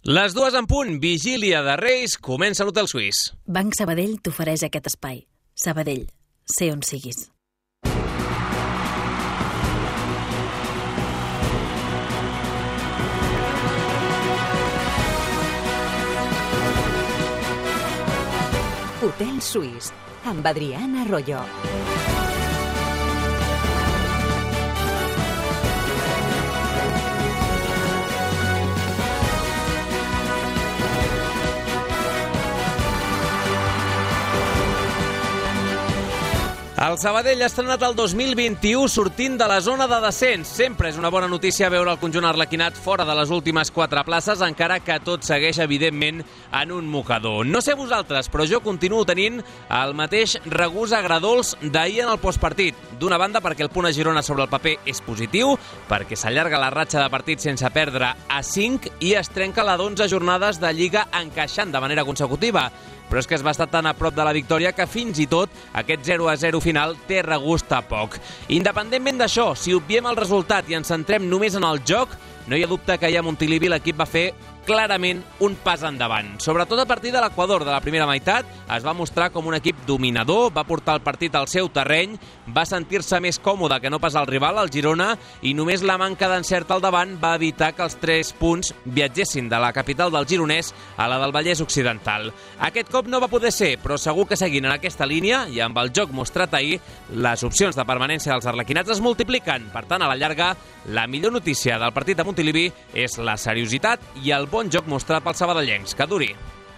Les 2 en punt, vigília de Reis, comença l'Hotel Suís. Banc Sabadell t'ofereix aquest espai. Sabadell, sé on siguis. Hotel Suís, amb Adriana Arroyo. El Sabadell ha estrenat el 2021 sortint de la zona de descens. Sempre és una bona notícia veure el conjunt arlequinat fora de les últimes 4 places, encara que tot segueix, evidentment, en un mocador. No sé vosaltres, però jo continuo tenint el mateix regust agradols d'ahir en el postpartit. D'una banda, perquè el punt a Girona sobre el paper és positiu, perquè s'allarga la ratxa de partits sense perdre a 5 i es trenca la d'11 jornades de Lliga encaixant de manera consecutiva. Però és que es va estar tan a prop de la victòria que fins i tot aquest 0-0 final té regust a poc. Independentment d'això, si obviem el resultat i ens centrem només en el joc, no hi ha dubte que ahir a Montilivi l'equip va fer clarament un pas endavant. Sobretot a partir de l'Equador de la primera meitat, es va mostrar com un equip dominador, va portar el partit al seu terreny, va sentir-se més còmode que no pas el rival, el Girona, i només la manca d'encert al davant va evitar que els 3 punts viatgessin de la capital del gironès a la del Vallès Occidental. Aquest cop no va poder ser, però segur que seguint en aquesta línia i amb el joc mostrat ahir, les opcions de permanència dels arlequinats es multipliquen. Per tant, a la llarga, la millor notícia del partit de Montilivi és la seriositat i el bon joc mostrat pels sabadellencs. Que duri.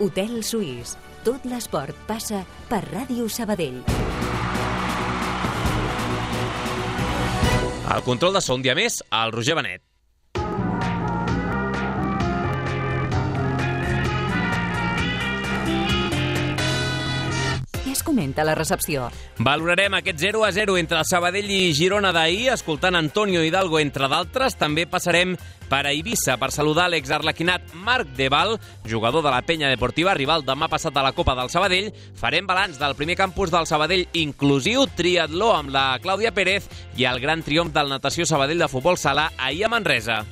Hotel Suís. Tot l'esport passa per Ràdio Sabadell. El control de so un dia més, el Roger Benet. Què es comenta a la recepció? Valorarem aquest 0-0 entre el Sabadell i Girona d'ahir, escoltant Antonio Hidalgo, entre d'altres. També passarem per a Eivissa per saludar l'exarlequinat Marc Deval, jugador de la Penya Deportiva, rival demà passat a la Copa del Sabadell. Farem balanç del primer campus del Sabadell inclusiu, triatló amb la Clàudia Pérez i el gran triomf del Natació Sabadell de futbol sala ahir a Manresa.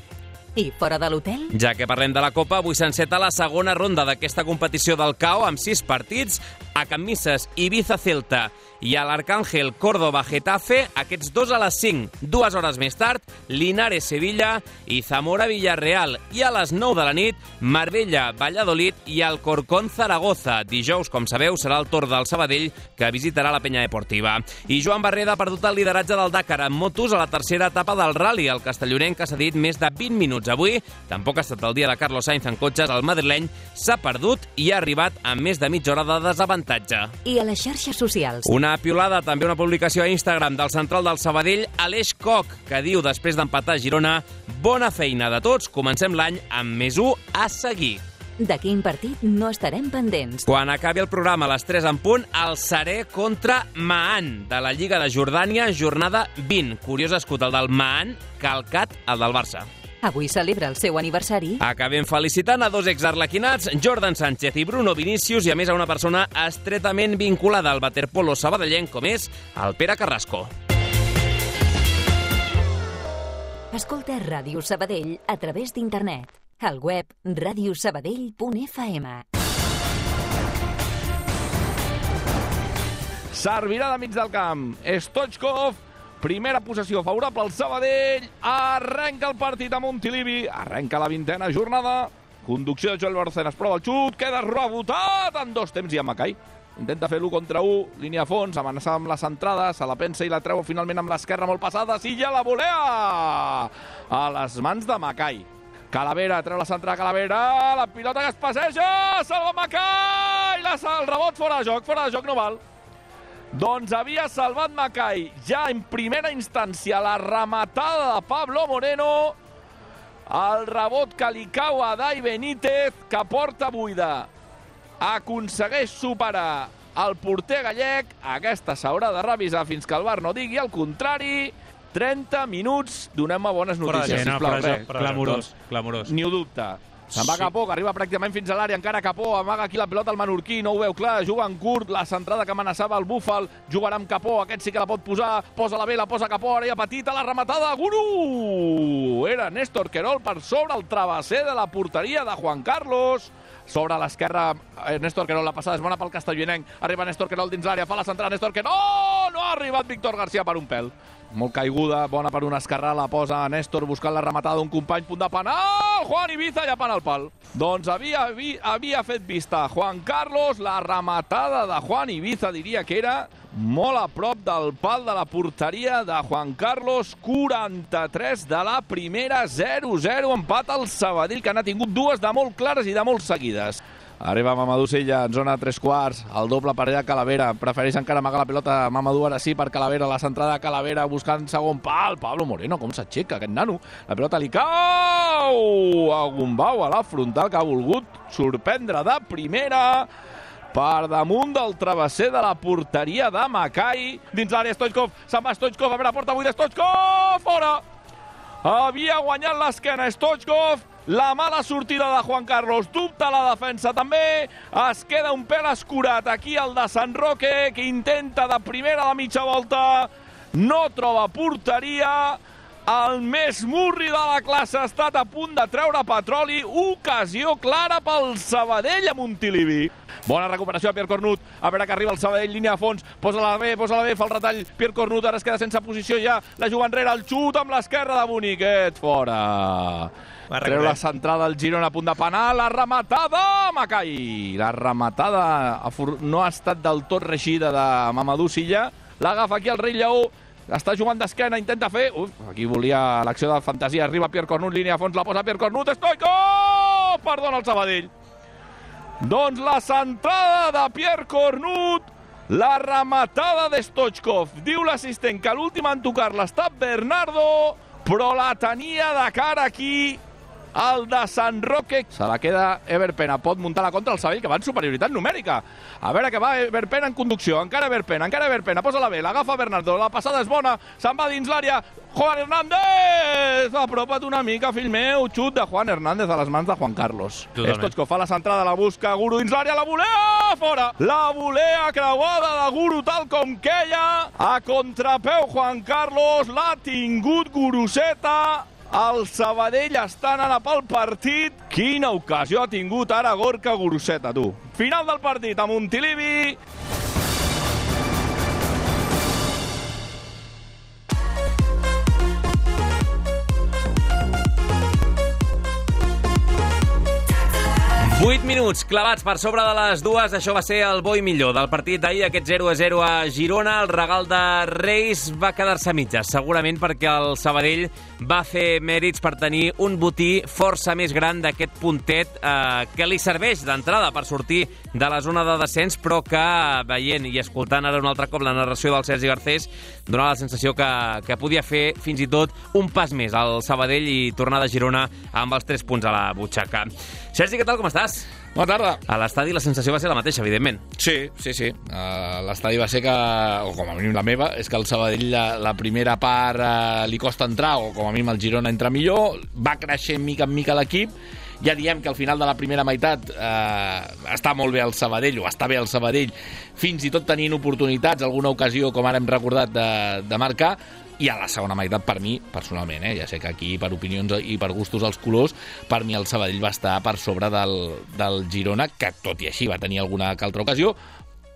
I fora de l'hotel? Ja que parlem de la Copa, avui s'enceta la segona ronda d'aquesta competició del CAO amb 6 partits, a Can Misses, Ibiza, Celta i a l'Arcángel, Córdoba, Getafe, aquests 2 a les 5. 2 hores més tard, Linares, Sevilla i Zamora, Villarreal. I a les 9 de la nit, Marbella, Valladolid i Alcorcón, Zaragoza. Dijous, com sabeu, serà el torn del Sabadell, que visitarà la Penya Deportiva. I Joan Barreda ha perdut el lideratge del Dakar en motos a la tercera etapa del Rally. El castellonenc ha cedit més de 20 minuts avui. Tampoc ha estat el dia de Carlos Sainz en cotxes. El madrileny s'ha perdut i ha arribat amb més de mitja hora de desavantatge. I a les xarxes socials? Una piolada, també una publicació a Instagram del central del Sabadell, Aleix Koch, que diu, després d'empatar a Girona, bona feina de tots, comencem l'any amb més 1 a seguir. De quin partit no estarem pendents? Quan acabi el programa a les 3 en punt, el Saré contra Maan, de la Lliga de Jordània, jornada 20. Curiós escut el del Maan, calcat el del Barça. Avui celebra el seu aniversari. Acabem felicitant a 2 exarlequinats, Jordan Sánchez i Bruno Vinícius, i a més a una persona estretament vinculada al waterpolo sabadellenc, com és el Pere Carrasco. Escolta Ràdio Sabadell a través d'internet. Al web radiosabadell.fm. Servirà de mig del camp. Stoichkov, primera possessió favorable al Sabadell. Arrenca el partit a Montilivi. Arrenca la 20a jornada. Conducció de Joel Barcenas. Prova el xut. Queda rebotat en 2 temps i a Macai. Intenta fer l'1 contra 1. Línia a fons. Amenaçar amb la centrada. Se la pensa i la treu finalment amb l'esquerra molt passada. Sí, ja la volea! A les mans de Macai. Calavera, treu la centrada Calavera. La pilota que es passeja. Salva Macai! El rebot fora de joc no val. Doncs havia salvat Macai ja en primera instància la rematada de Pablo Moreno. El rebot que li cau a Dai Benítez, que porta buida. Aconsegueix superar el porter gallec. Aquesta s'haurà de revisar fins que el VAR no digui el contrari. 30 minuts, donem-me bones notícies, sisplau. Clamorós. Ni ho dubte. Se'n va Capó, que arriba pràcticament fins a l'àrea, encara Capó, amaga aquí la pilota al menorquí, no ho veu clar, juga en curt, la centrada que amenaçava el Búfal, jugarà amb Capó, aquest sí que la pot posar, posa la vela, posa Capó, àrea petita, la rematada, Guru! Era Néstor Querol per sobre el travesser de la porteria de Juan Carlos. Sobre l'esquerra, Néstor Querol, la passada és bona pel castellonenc, arriba Néstor Querol dins l'àrea, fa la centrada, Néstor Querol, no ha arribat Víctor García per un pèl. Molt caiguda, bona per un esquerrà, la posa Néstor buscant la rematada d'un company, punt de penal, Juan Ibiza llapant el pal. Doncs havia fet vista Juan Carlos, la rematada de Juan Ibiza diria que era molt a prop del pal de la porteria de Juan Carlos, 43 de la primera, 0-0, empat al Sabadell, que n'ha tingut dues de molt clares i de molt seguides. Arriba Mamadou Silla en zona 3/4, el doble per allà Calavera, prefereix encara amagar la pilota Mamadou ara sí per Calavera, la centrada de Calavera buscant segon pal, Pablo Moreno, com s'aixeca aquest nano, la pilota li cau a Gumbau a la frontal, que ha volgut sorprendre de primera per damunt del travesser de la porteria de Macai, dins l'àrea Stoichkov, se'n va Stoichkov, a veure, porta buida Stoichkov, fora! Havia guanyat l'esquena Stoichkov, la mala sortida de Juan Carlos, dubta la defensa també, es queda un pèl escurat aquí el de Sant Roque, que intenta de primera de mitja volta, no troba porteria, el més murri de la classe ha estat a punt de treure petroli, ocasió clara pel Sabadell a Montilivi. Bona recuperació a Pierre Cornut, a veure que arriba el Sabadell, línia a fons, posa-la bé, fa el retall, Pierre Cornut, ara es queda sense posició ja, la juga enrere, el xut amb l'esquerra de Boniquet, fora. Treu la centrada del Girona a punt de penal, la rematada, Macai. La rematada no ha estat del tot reixida de Mamadou Silla, l'agafa aquí el Rei Lleó, està jugant d'esquena, intenta fer... aquí volia l'acció de fantasia, arriba Pierre Cornut, línia a fons, la posa Pierre Cornut, Stoichkov! Perdona el Sabadell. Doncs la centrada de Pierre Cornut, la rematada de Stoichkov. Diu l'assistent que l'últim en tocar-la ha estat Bernardo, però la tenia de cara aquí el de Sant Roque. Se la queda Everpena, pot muntar la contra el Sabadell, que va en superioritat numèrica. A veure que va Everpena en conducció, encara Everpena, posa la vela, agafa Bernardo, la passada és bona, se'n va dins l'àrea, Juan Hernández! Apropa't una mica, fill meu, xut de Juan Hernández a les mans de Juan Carlos. Stoichkov fa la centrada, la busca, Guru dins l'àrea, la volea, fora! La volea creuada de Guru tal com queia, a contrapeu Juan Carlos, l'ha tingut Guruseta. El Sabadell està anant pel partit. Quina ocasió ha tingut ara Gorka Guruseta, tu. Final del partit a Montilivi. Vuit minuts clavats per sobre de les dues. Això va ser el bo i millor del partit d'ahir, aquest 0-0 a Girona. El regal de Reis va quedar-se a mitges, segurament perquè el Sabadell va fer mèrits per tenir un botí força més gran d'aquest puntet que li serveix d'entrada per sortir de la zona de descens, però que, veient i escoltant ara un altre cop la narració del Sergi Garcés, donava la sensació que podia fer fins i tot un pas més al Sabadell i tornar de Girona amb els 3 punts a la butxaca. Sergi, què tal, com estàs? Bona tarda. A l'estadi la sensació va ser la mateixa, evidentment. Sí. L'estadi va ser que, o com a mínim la meva, és que el Sabadell la primera part li costa entrar, o com a mínim el Girona entra millor, va creixent mica en mica l'equip, ja diem que al final de la primera meitat està molt bé el Sabadell, o està bé el Sabadell, fins i tot tenint oportunitats, alguna ocasió, com ara hem recordat, de marcar, i a la segona meitat, per mi, personalment, ja sé que aquí per opinions i per gustos els colors, per mi el Sabadell va estar per sobre del Girona, que tot i així va tenir alguna que altra ocasió,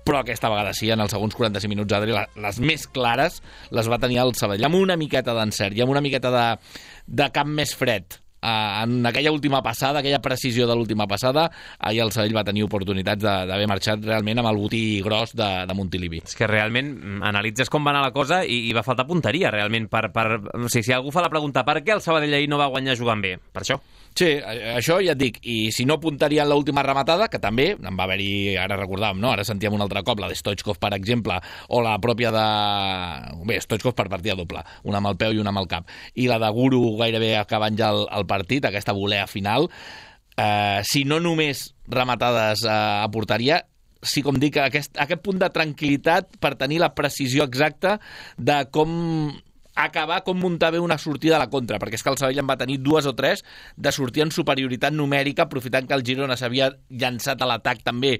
però aquesta vegada sí, en els segons 45 minuts, Adri, les més clares les va tenir el Sabadell, amb una miqueta d'encert i amb una miqueta de camp més fred. En aquella última passada, aquella precisió de l'última passada, ahir el Sabadell va tenir oportunitats d'haver marxat realment amb el botí gros de Montilivi. És que realment analitzes com va anar la cosa i va faltar punteria, realment. O sigui, si algú fa la pregunta per què el Sabadell ahir no va guanyar jugant bé, per això. Sí, això ja et dic, i si no puntaria en l'última rematada, que també en va haver-hi, ara recordàvem, no? Ara sentíem un altre cop, la de Stoichkov, per exemple, o la pròpia de... Bé, Stoichkov per partida doble, una amb el peu i una amb el cap, i la de Guru gairebé acabant ja el partit, aquesta volea final, si no només rematades a porteria, sí, com dic, aquest punt de tranquil·litat per tenir la precisió exacta de com acabar com muntar bé una sortida a la contra, perquè és que el Sabadell en va tenir 2 o 3 de sortir en superioritat numèrica, aprofitant que el Girona s'havia llançat a l'atac també,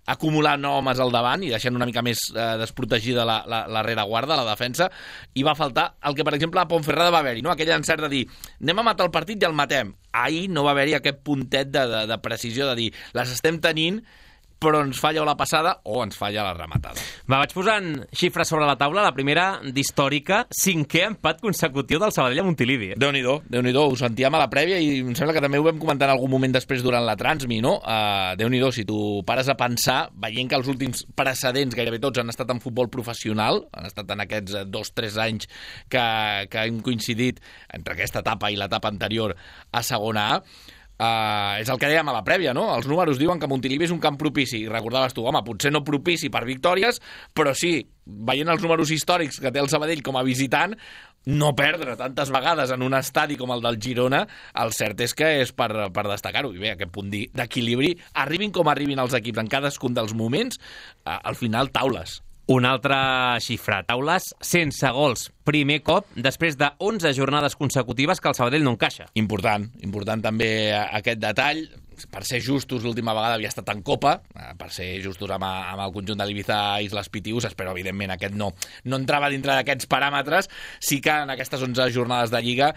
acumulant homes al davant i deixant una mica més desprotegida la rereguarda, la defensa, i va faltar el que, per exemple, a Ponferrada va haver-hi, no? Aquell encert de dir, anem a matar el partit i el matem. Ahir no va haver-hi aquest puntet de precisió de dir, les estem tenint, però ens falla la passada o ens falla la rematada. Vaig posant xifres sobre la taula. La primera, d'històrica, 5è empat consecutiu del Sabadell a Montilivi. Déu-n'hi-do, ho sentíem a la prèvia i em sembla que també ho vam comentar en algun moment després durant la transmi, no? Déu-n'hi-do, si tu pares a pensar, veient que els últims precedents, gairebé tots, han estat en futbol professional, han estat en aquests 2-3 anys que hem coincidit entre aquesta etapa i l'etapa anterior a segona A, és el que dèiem a la prèvia, no? Els números diuen que Montilivi és un camp propici. I recordaves tu, home, potser no propici per victòries, però sí, veient els números històrics que té el Sabadell com a visitant, no perdre tantes vegades en un estadi com el del Girona, el cert és que és per destacar-ho. I bé, aquest punt d'equilibri, arribin com arribin els equips en cadascun dels moments, al final taules. Una altra xifra, taules sense gols. Primer cop després de 11 jornades consecutives que el Sabadell no encaixa. Important també aquest detall. Per ser justos, l'última vegada havia estat en Copa, per ser justos amb el conjunt de l'Ibiza Islas Pitiusas, però evidentment aquest no entrava dintre d'aquests paràmetres. Sí que en aquestes 11 jornades de Lliga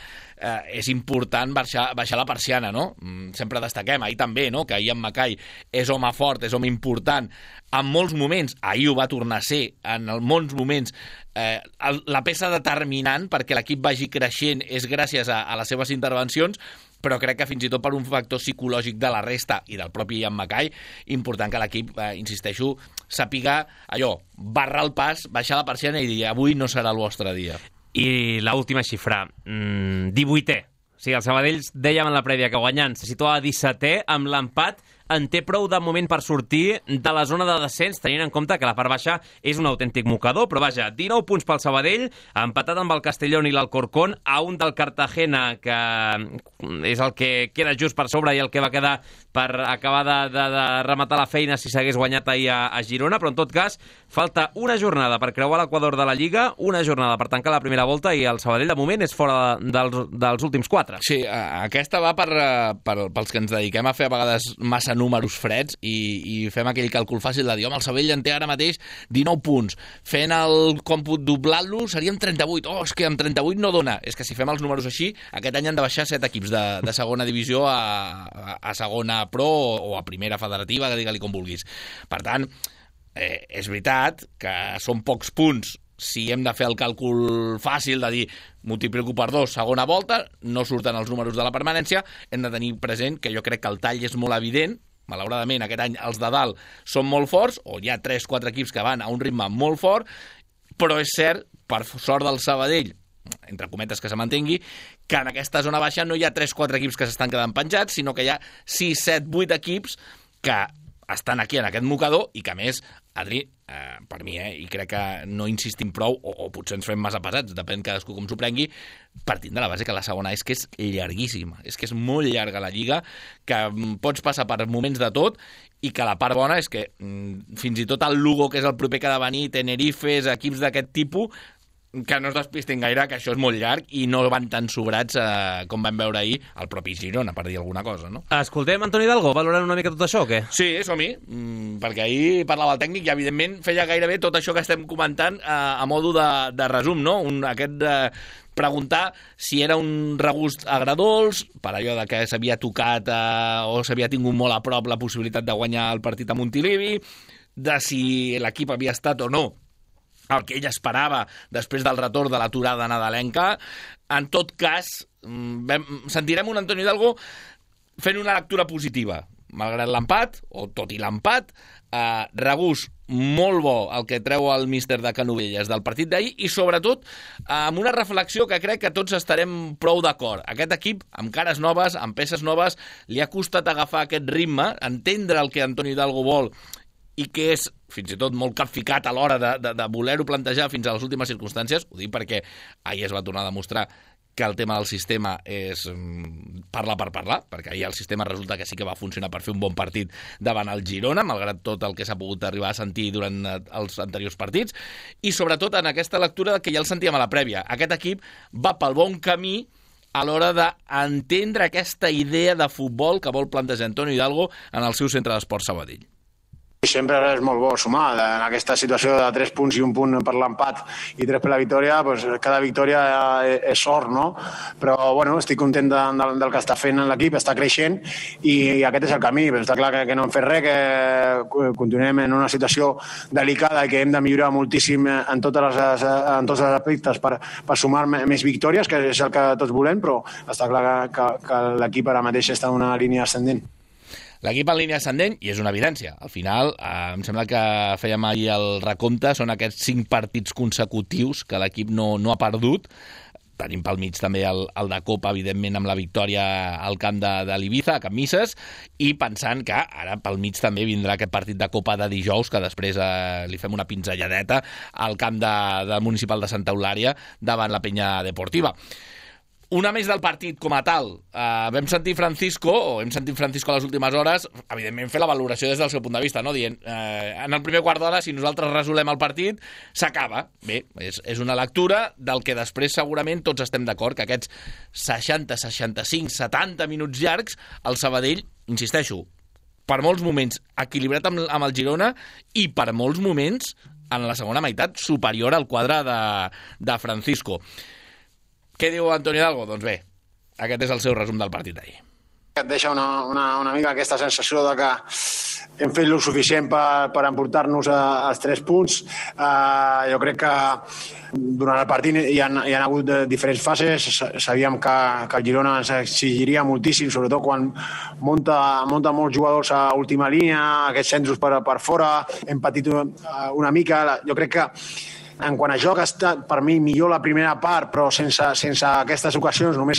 és important baixar la persiana, no? Sempre destaquem, ahir també, no? Que ahir en Macai és home fort, és home important, en molts moments, ahir ho va tornar a ser, en molts moments, la peça determinant perquè l'equip vagi creixent és gràcies a les seves intervencions, però crec que fins i tot per un factor psicològic de la resta i del propi Ian Macai, important que l'equip, insisteixo, sàpiga allò, barrar el pas, baixar la persiana i dir avui no serà el vostre dia. I l'última xifra, 18è. O sigui, el Sabadell, dèiem en la prèvia que guanyant se situa a 17è, amb l'empat en té prou de moment per sortir de la zona de descens, tenint en compte que la part baixa és un autèntic mocador, però vaja, 19 punts pel Sabadell, empatat amb el Castellón i l'Alcorcón, a un del Cartagena, que és el que queda just per sobre i el que va quedar per acabar de rematar la feina si s'hagués guanyat ahir a Girona, però en tot cas, falta una jornada per creuar l'equador de la Lliga, una jornada per tancar la primera volta i el Sabadell de moment és fora dels últims 4. Sí, aquesta va pels que ens dediquem a fer a vegades massa números freds i fem aquell càlcul fàcil de dir, home, el Sabadell en té ara mateix 19 punts. Fent el còmput doblant-lo seríem 38. Oh, és que amb 38 no dona. És que si fem els números així, aquest any han de baixar 7 equips de segona divisió a segona pro o a primera federativa, digue-li com vulguis. Per tant, és veritat que són pocs punts. Si hem de fer el càlcul fàcil de dir multiplico per 2, segona volta, no surten els números de la permanència, hem de tenir present que jo crec que el tall és molt evident. Malauradament, aquest any els de dalt són molt forts, o hi ha 3-4 equips que van a un ritme molt fort, però és cert, per sort del Sabadell, entre cometes que se mantengui, que en aquesta zona baixa no hi ha 3-4 equips que s'estan quedant penjats, sinó que hi ha 6, 7, 8 equips que estan aquí en aquest mocador i que, a més, Adri, per mi, i crec que no insistim prou, o potser ens fem massa pesats, depèn cadascú com s'ho prengui, partint de la base que la segona és que és llarguíssima, és que és molt llarga la Lliga, que pots passar per moments de tot, i que la part bona és que fins i tot el Lugo, que és el proper que ha de venir, Tenerifes, equips d'aquest tipus, que no es despistin gaire, que això és molt llarg i no van tan sobrats com vam veure ahir el propi Girona, per dir alguna cosa, no? Escoltem Antoni Hidalgo, valorant una mica tot això o què? Sí, som-hi, perquè ahir parlava el tècnic i evidentment feia gairebé tot això que estem comentant a modo de resum, no? Preguntar si era un regust agredolç, per allò de que s'havia tocat o s'havia tingut molt a prop la possibilitat de guanyar el partit a Montilivi, de si l'equip havia estat o no el que ell esperava després del retorn de l'aturada nadalenca. En tot cas, sentirem un Antoni Hidalgo fent una lectura positiva. Malgrat l'empat, o tot i l'empat, regust molt bo el que treu el míster de Canovelles del partit d'ahir i, sobretot, amb una reflexió que crec que tots estarem prou d'acord. Aquest equip, amb cares noves, amb peces noves, li ha costat agafar aquest ritme, entendre el que Antoni Hidalgo vol i que és fins i tot molt capficat a l'hora de voler-ho plantejar fins a les últimes circumstàncies. Ho dic perquè ahir es va tornar a demostrar que el tema del sistema és parlar per parlar, perquè ahir el sistema resulta que sí que va funcionar per fer un bon partit davant el Girona, malgrat tot el que s'ha pogut arribar a sentir durant els anteriors partits, i sobretot en aquesta lectura que ja el sentíem a la prèvia. Aquest equip va pel bon camí a l'hora d'entendre aquesta idea de futbol que vol plantejar Antonio Hidalgo en el seu centre d'esport Sabadell. Sempre és molt bo sumar. En aquesta situació de 3 punts i 1 punt per l'empat i 3 per la victòria, doncs cada victòria és sort, no? Però bueno, estic content del que està fent l'equip, està creixent i aquest és el camí. Està clar que no hem fet res, que continuem en una situació delicada i que hem de millorar moltíssim en tots els aspectes per sumar més victòries, que és el que tots volem, però està clar que l'equip ara mateix està en una línia ascendent. L'equip en línia ascendent, i és una evidència. Al final, em sembla que fèiem ahir el recompte, són aquests 5 partits consecutius que l'equip no ha perdut. Tenim pel mig també el de Copa, evidentment, amb la victòria al camp de l'Ibiza, a Can Misses, i pensant que ara pel mig també vindrà aquest partit de Copa de dijous, que després li fem una pinzelladeta al camp del Municipal de Santa Eulària davant la Penya Deportiva. Una més del partit com a tal. Hem sentit Francisco a les últimes hores, evidentment fer la valoració des del seu punt de vista, no? Dient, en el primer quart d'hora, si nosaltres resolem el partit, s'acaba. Bé, és una lectura del que després segurament tots estem d'acord, que aquests 60, 65, 70 minuts llargs, el Sabadell, insisteixo, per molts moments equilibrat amb el Girona i per molts moments, en la segona meitat, superior al quadre de Francisco. Què diu Antonio Hidalgo? Doncs bé, aquest és el seu resum del partit d'ahir. Et deixa una mica aquesta sensació de que hem fet el suficient per emportar-nos als 3 punts. Jo crec que durant el partit hi ha hagut diferents fases. Sabíem que el Girona ens exigiria moltíssim, sobretot quan munta molts jugadors a última línia, aquests centres per fora. Hem patit una mica. Jo crec que en quant a joc ha estat per mi millor la primera part, però sense aquestes ocasions, només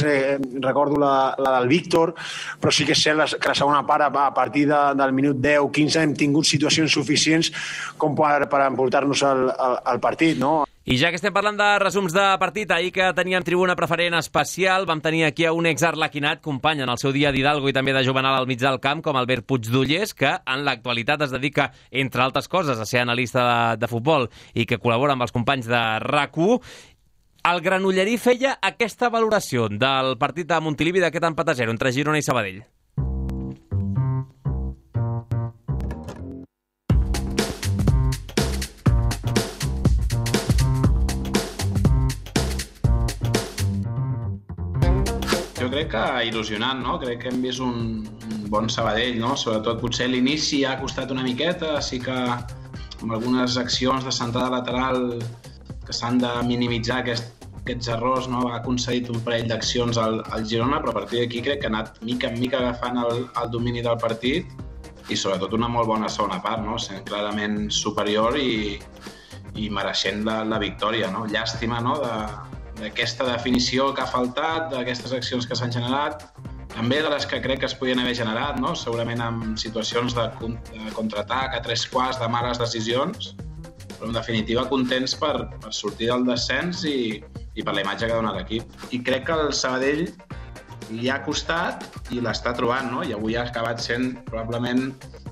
recordo la del Víctor, però sí que és cert que la segona part, a partir del minut 10-15, hem tingut situacions suficients com per emportar-nos al partit, no? I ja que estem parlant de resums de partit, ahir que teníem tribuna preferent especial, vam tenir aquí a un exarlequinat, company en el seu dia d'Hidalgo i també de Juvenal al mig del camp, com Albert Puigdollers, que en l'actualitat es dedica, entre altres coses, a ser analista de futbol i que col·labora amb els companys de RAC1. El Granollerí feia aquesta valoració del partit de Montilivi d'aquest empat a 0 entre Girona i Sabadell. Jo crec que il·lusionant, no? Crec que hem vist un bon Sabadell, no? Sobretot potser l'inici ha costat una miqueta, sí que amb algunes accions de centrada lateral que s'han de minimitzar aquests errors, no? Ha concedit un parell d'accions al Girona, però a partir d'aquí crec que ha anat mica en mica agafant el domini del partit i sobretot una molt bona segona part, no? Sent clarament superior i mereixent la victòria, no? Llàstima, no? D'aquesta definició que ha faltat, d'aquestes accions que s'han generat, també de les que crec que es podien haver generat, no? Segurament en situacions de contraatac a 3 quarts, de males decisions, però en definitiva contents per sortir del descens i per la imatge que dona l'equip. I crec que el Sabadell li ha costat i l'està trobant, no? I avui ha acabat sent probablement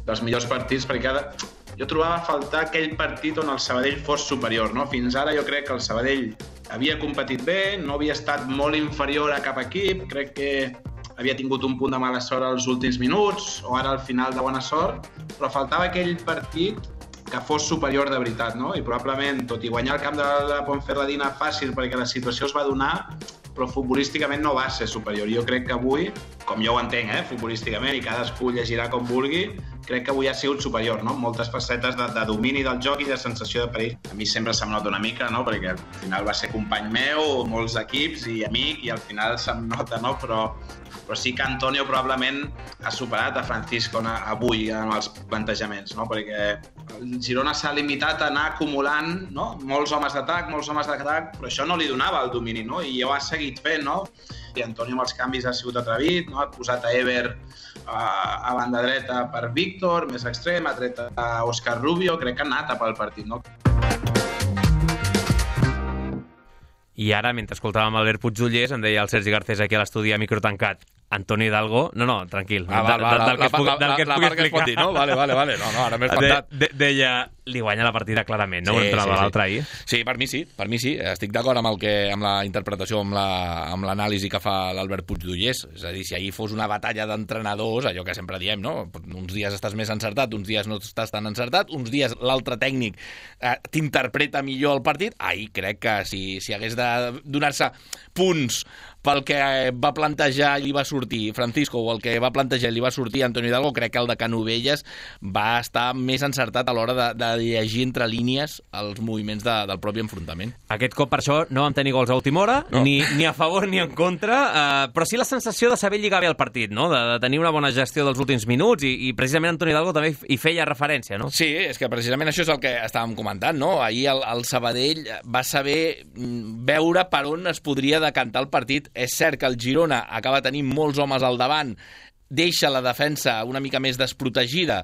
dels millors partits, perquè jo trobava a faltar aquell partit on el Sabadell fos superior, no? Fins ara jo crec que el Sabadell havia competit bé, no havia estat molt inferior a cap equip, crec que havia tingut un punt de mala sort als últims minuts o ara al final de bona sort, però faltava aquell partit que fos superior de veritat, no? I probablement, tot i guanyar el camp de la Ponferradina fàcil perquè la situació es va donar, però futbolísticament no va ser superior. Jo crec que avui, com jo ho entenc, futbolísticament, i cadascú llegirà com vulgui, crec que avui ha sigut superior, no? Moltes facetes de domini del joc i de sensació de perill. A mi sempre se'm nota una mica, no? Perquè al final va ser company meu, molts equips i amic, i al final se'm nota, no? Però sí que Antonio probablement ha superat a Francisco avui en els plantejaments, no? Perquè el Girona s'ha limitat a anar acumulant, no? Molts homes d'atac, però això no li donava el domini, no? I ho ha seguit fent, no? I Antonio amb els canvis ha sigut atrevit, no? Ha posat a Ever a banda dreta per Víctor, més extrem, ha tret a Òscar Rubio, crec que ha anat a pel partit, no? I ara, mentre escoltàvem Albert Puigdollers, em deia el Sergi Garcés aquí a l'estudi a micro tancat, Antoni Hidalgo... No, tranquil. La part que es pot dir, no? Vale. No, ara m'he espantat. Deia, li guanya la partida clarament, no? Sí, l'altre ahir. Sí, per mi sí. Estic d'acord amb la interpretació, amb l'anàlisi que fa l'Albert Puigdollers. És a dir, si ahir fos una batalla d'entrenadors, allò que sempre diem, no? Uns dies estàs més encertat, uns dies no estàs tan encertat, uns dies l'altre tècnic t'interpreta millor el partit. Ahir crec que si hagués de donar-se punts pel que va plantejar i li va sortir Francisco o el que va plantejar i li va sortir Antoni Hidalgo, crec que el de Canovelles va estar més encertat a l'hora de llegir entre línies els moviments del propi enfrontament. Aquest cop per això no vam tenir gols a última hora, no. ni a favor ni en contra, però sí la sensació de saber lligar bé el partit, no? De tenir una bona gestió dels últims minuts i precisament Antoni Hidalgo també hi feia referència, no? Sí, és que precisament això és el que estàvem comentant, no? Ahir el Sabadell va saber veure per on es podria decantar el partit. És cert que el Girona acaba tenint molts homes al davant, deixa la defensa una mica més desprotegida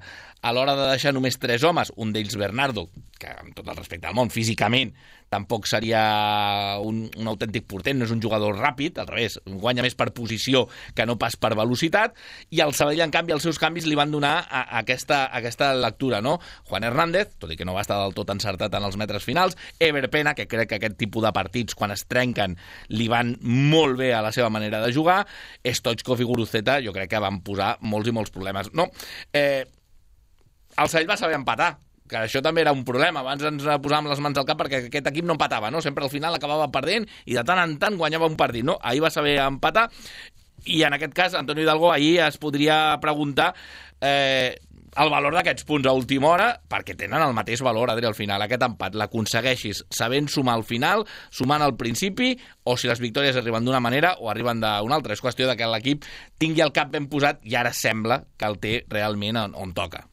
a l'hora de deixar només 3 homes, un d'ells Bernardo, que amb tot el respecte al món, físicament tampoc seria un autèntic portent, no és un jugador ràpid, al revés, guanya més per posició que no pas per velocitat, i el Sabadell, en canvi, els seus canvis li van donar aquesta lectura, no? Juan Hernández, tot i que no va estar del tot encertat en els metres finals, Ever Pena, que crec que aquest tipus de partits, quan es trenquen, li van molt bé a la seva manera de jugar, Stoichkov i Guruceta, jo crec que van posar molts i molts problemes. No, el Sabadell va saber empatar, que això també era un problema. Abans ens posàvem les mans al cap perquè aquest equip no empatava, no? Sempre al final acabava perdent i de tant en tant guanyava un partit, no? Ahir va saber empatar i en aquest cas Antoni Hidalgo ahir es podria preguntar el valor d'aquests punts a última hora, perquè tenen el mateix valor, Adri, al final. Aquest empat l'aconsegueixis sabent sumar al final, sumant al principi, o si les victòries arriben d'una manera o arriben d'una altra. És qüestió de que l'equip tingui el cap ben posat i ara sembla que el té realment on toca.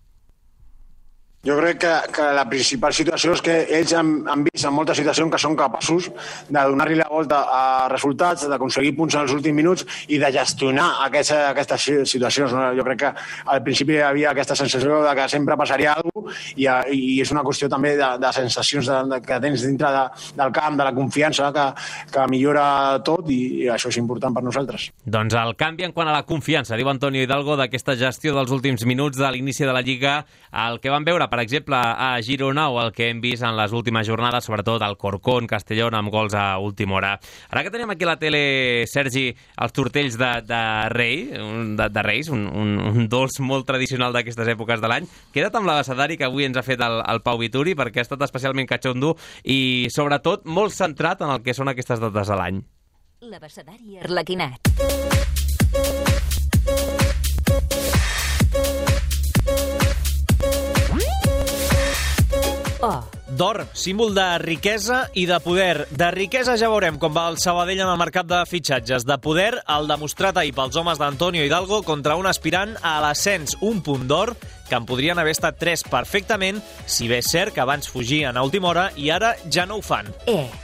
Jo crec que la principal situació és que ells han vist en moltes situacions que són capaços de donar-li la volta a resultats, d'aconseguir punts en els últims minuts i de gestionar aquestes situacions. No? Jo crec que al principi hi havia aquesta sensació de que sempre passaria alguna cosa i és una qüestió també de sensacions que tens dintre del camp, de la confiança que millora tot i això és important per nosaltres. Doncs el canvi en quant a la confiança, diu Antonio Hidalgo, d'aquesta gestió dels últims minuts de l'inici de la Lliga, el que vam veure per exemple, a Girona o el que hem vist en les últimes jornades, sobretot al Corcón, Castellón, amb gols a última hora. Ara que tenim aquí a la tele, Sergi, els tortells de Reis, un dolç molt tradicional d'aquestes èpoques de l'any, queda't amb l'abecedari que avui ens ha fet el Pau Vituri, perquè ha estat especialment catxondo i, sobretot, molt centrat en el que són aquestes dates de l'any. L'abecedari arlequinat. D'or, símbol de riquesa i de poder. De riquesa ja veurem com va el Sabadell en el mercat de fitxatges. De poder, el demostrat ahir pels homes d'Antonio Hidalgo contra un aspirant a l'ascens. Un punt d'or que en podrien haver estat 3 perfectament, si bé és cert que abans fugien a última hora i ara ja no ho fan.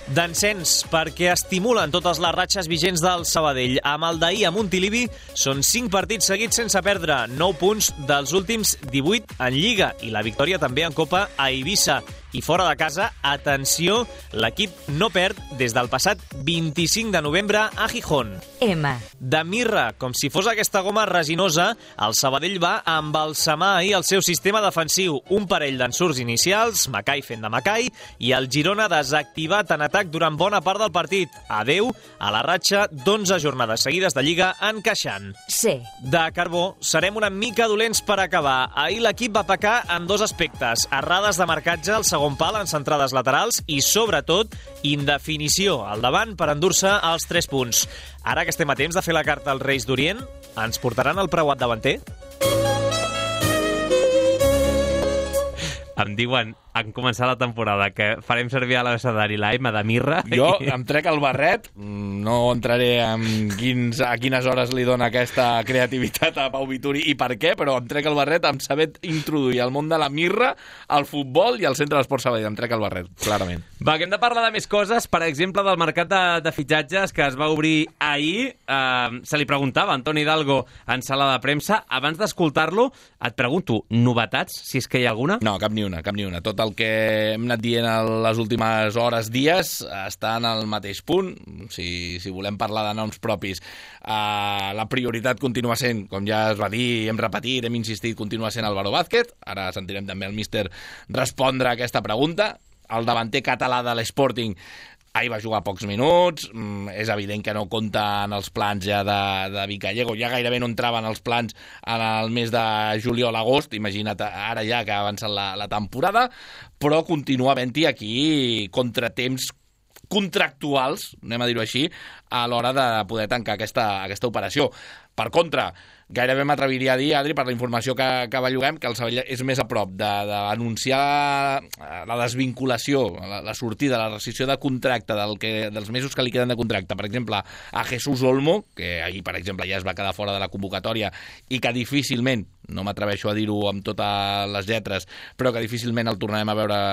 D'encens, perquè estimulen totes les ratxes vigents del Sabadell. Amb el d'ahir a Montilivi són 5 partits seguits sense perdre, 9 punts dels últims 18 en Lliga i la victòria també en Copa a Eivissa. I fora de casa, atenció, l'equip no perd des del passat 25 de novembre a Gijón. De mirra, com si fos aquesta goma resinosa, el Sabadell va embalsamar ahir el seu sistema defensiu. Un parell d'ensurts inicials, Macai fent de Macai, i el Girona desactivat en atac durant bona part del partit. Adeu a la ratxa d'11 jornades seguides de Lliga encaixant. De carbó, serem una mica dolents per acabar. Ahir l'equip va pecar en 2 aspectes. Errades de marcatge al segon pal en centrades laterals i, sobretot, indefinició al davant per endur-se els 3 punts. Ara que estem a temps de fer la carta als Reis d'Orient, ens portaran el preuat davanter? Em diuen, en començar la temporada, que farem servir a l'abecedari la M de mirra. Jo em trec el barret, no entraré a quines hores li dona aquesta creativitat a Pau Vituri i per què, però em trec el barret amb saber introduir el món de la mirra, al futbol i al centre d'esport Sabadell. Em trec el barret, clarament. Va, que hem de parlar de més coses, per exemple, del mercat de fitxatges que es va obrir ahir. Se li preguntava a Antoni Hidalgo en sala de premsa. Abans d'escoltar-lo, et pregunto, novetats, si és que hi ha alguna? No, cap ni una. Tot el pel que hem anat dient les últimes hores, dies, està en el mateix punt. Si volem parlar de noms propis, la prioritat continua sent, com ja es va dir, hem repetit, hem insistit, continua sent Álvaro Vázquez. Ara sentirem també el míster respondre a aquesta pregunta. El davanter català de l'Sporting ahir va jugar pocs minuts, és evident que no compta en els plans ja de Vicallego, ja gairebé no entraven els plans en el mes de juliol-agost, imagina't ara ja que ha avançat la temporada, però continua havent-hi aquí contratemps contractuals, anem a dir-ho així, a l'hora de poder tancar aquesta operació. Per contra, gairebé m'atreviria a dir, Adri, per la informació que belluguem, que el Sabadell és més a prop d'anunciar la desvinculació, la sortida, la rescissió de contracte dels mesos que li queden de contracte, per exemple, a Jesús Olmo, que ahir, per exemple, ja es va quedar fora de la convocatòria i que difícilment, no m'atreveixo a dir-ho amb totes les lletres, però que difícilment el tornarem a veure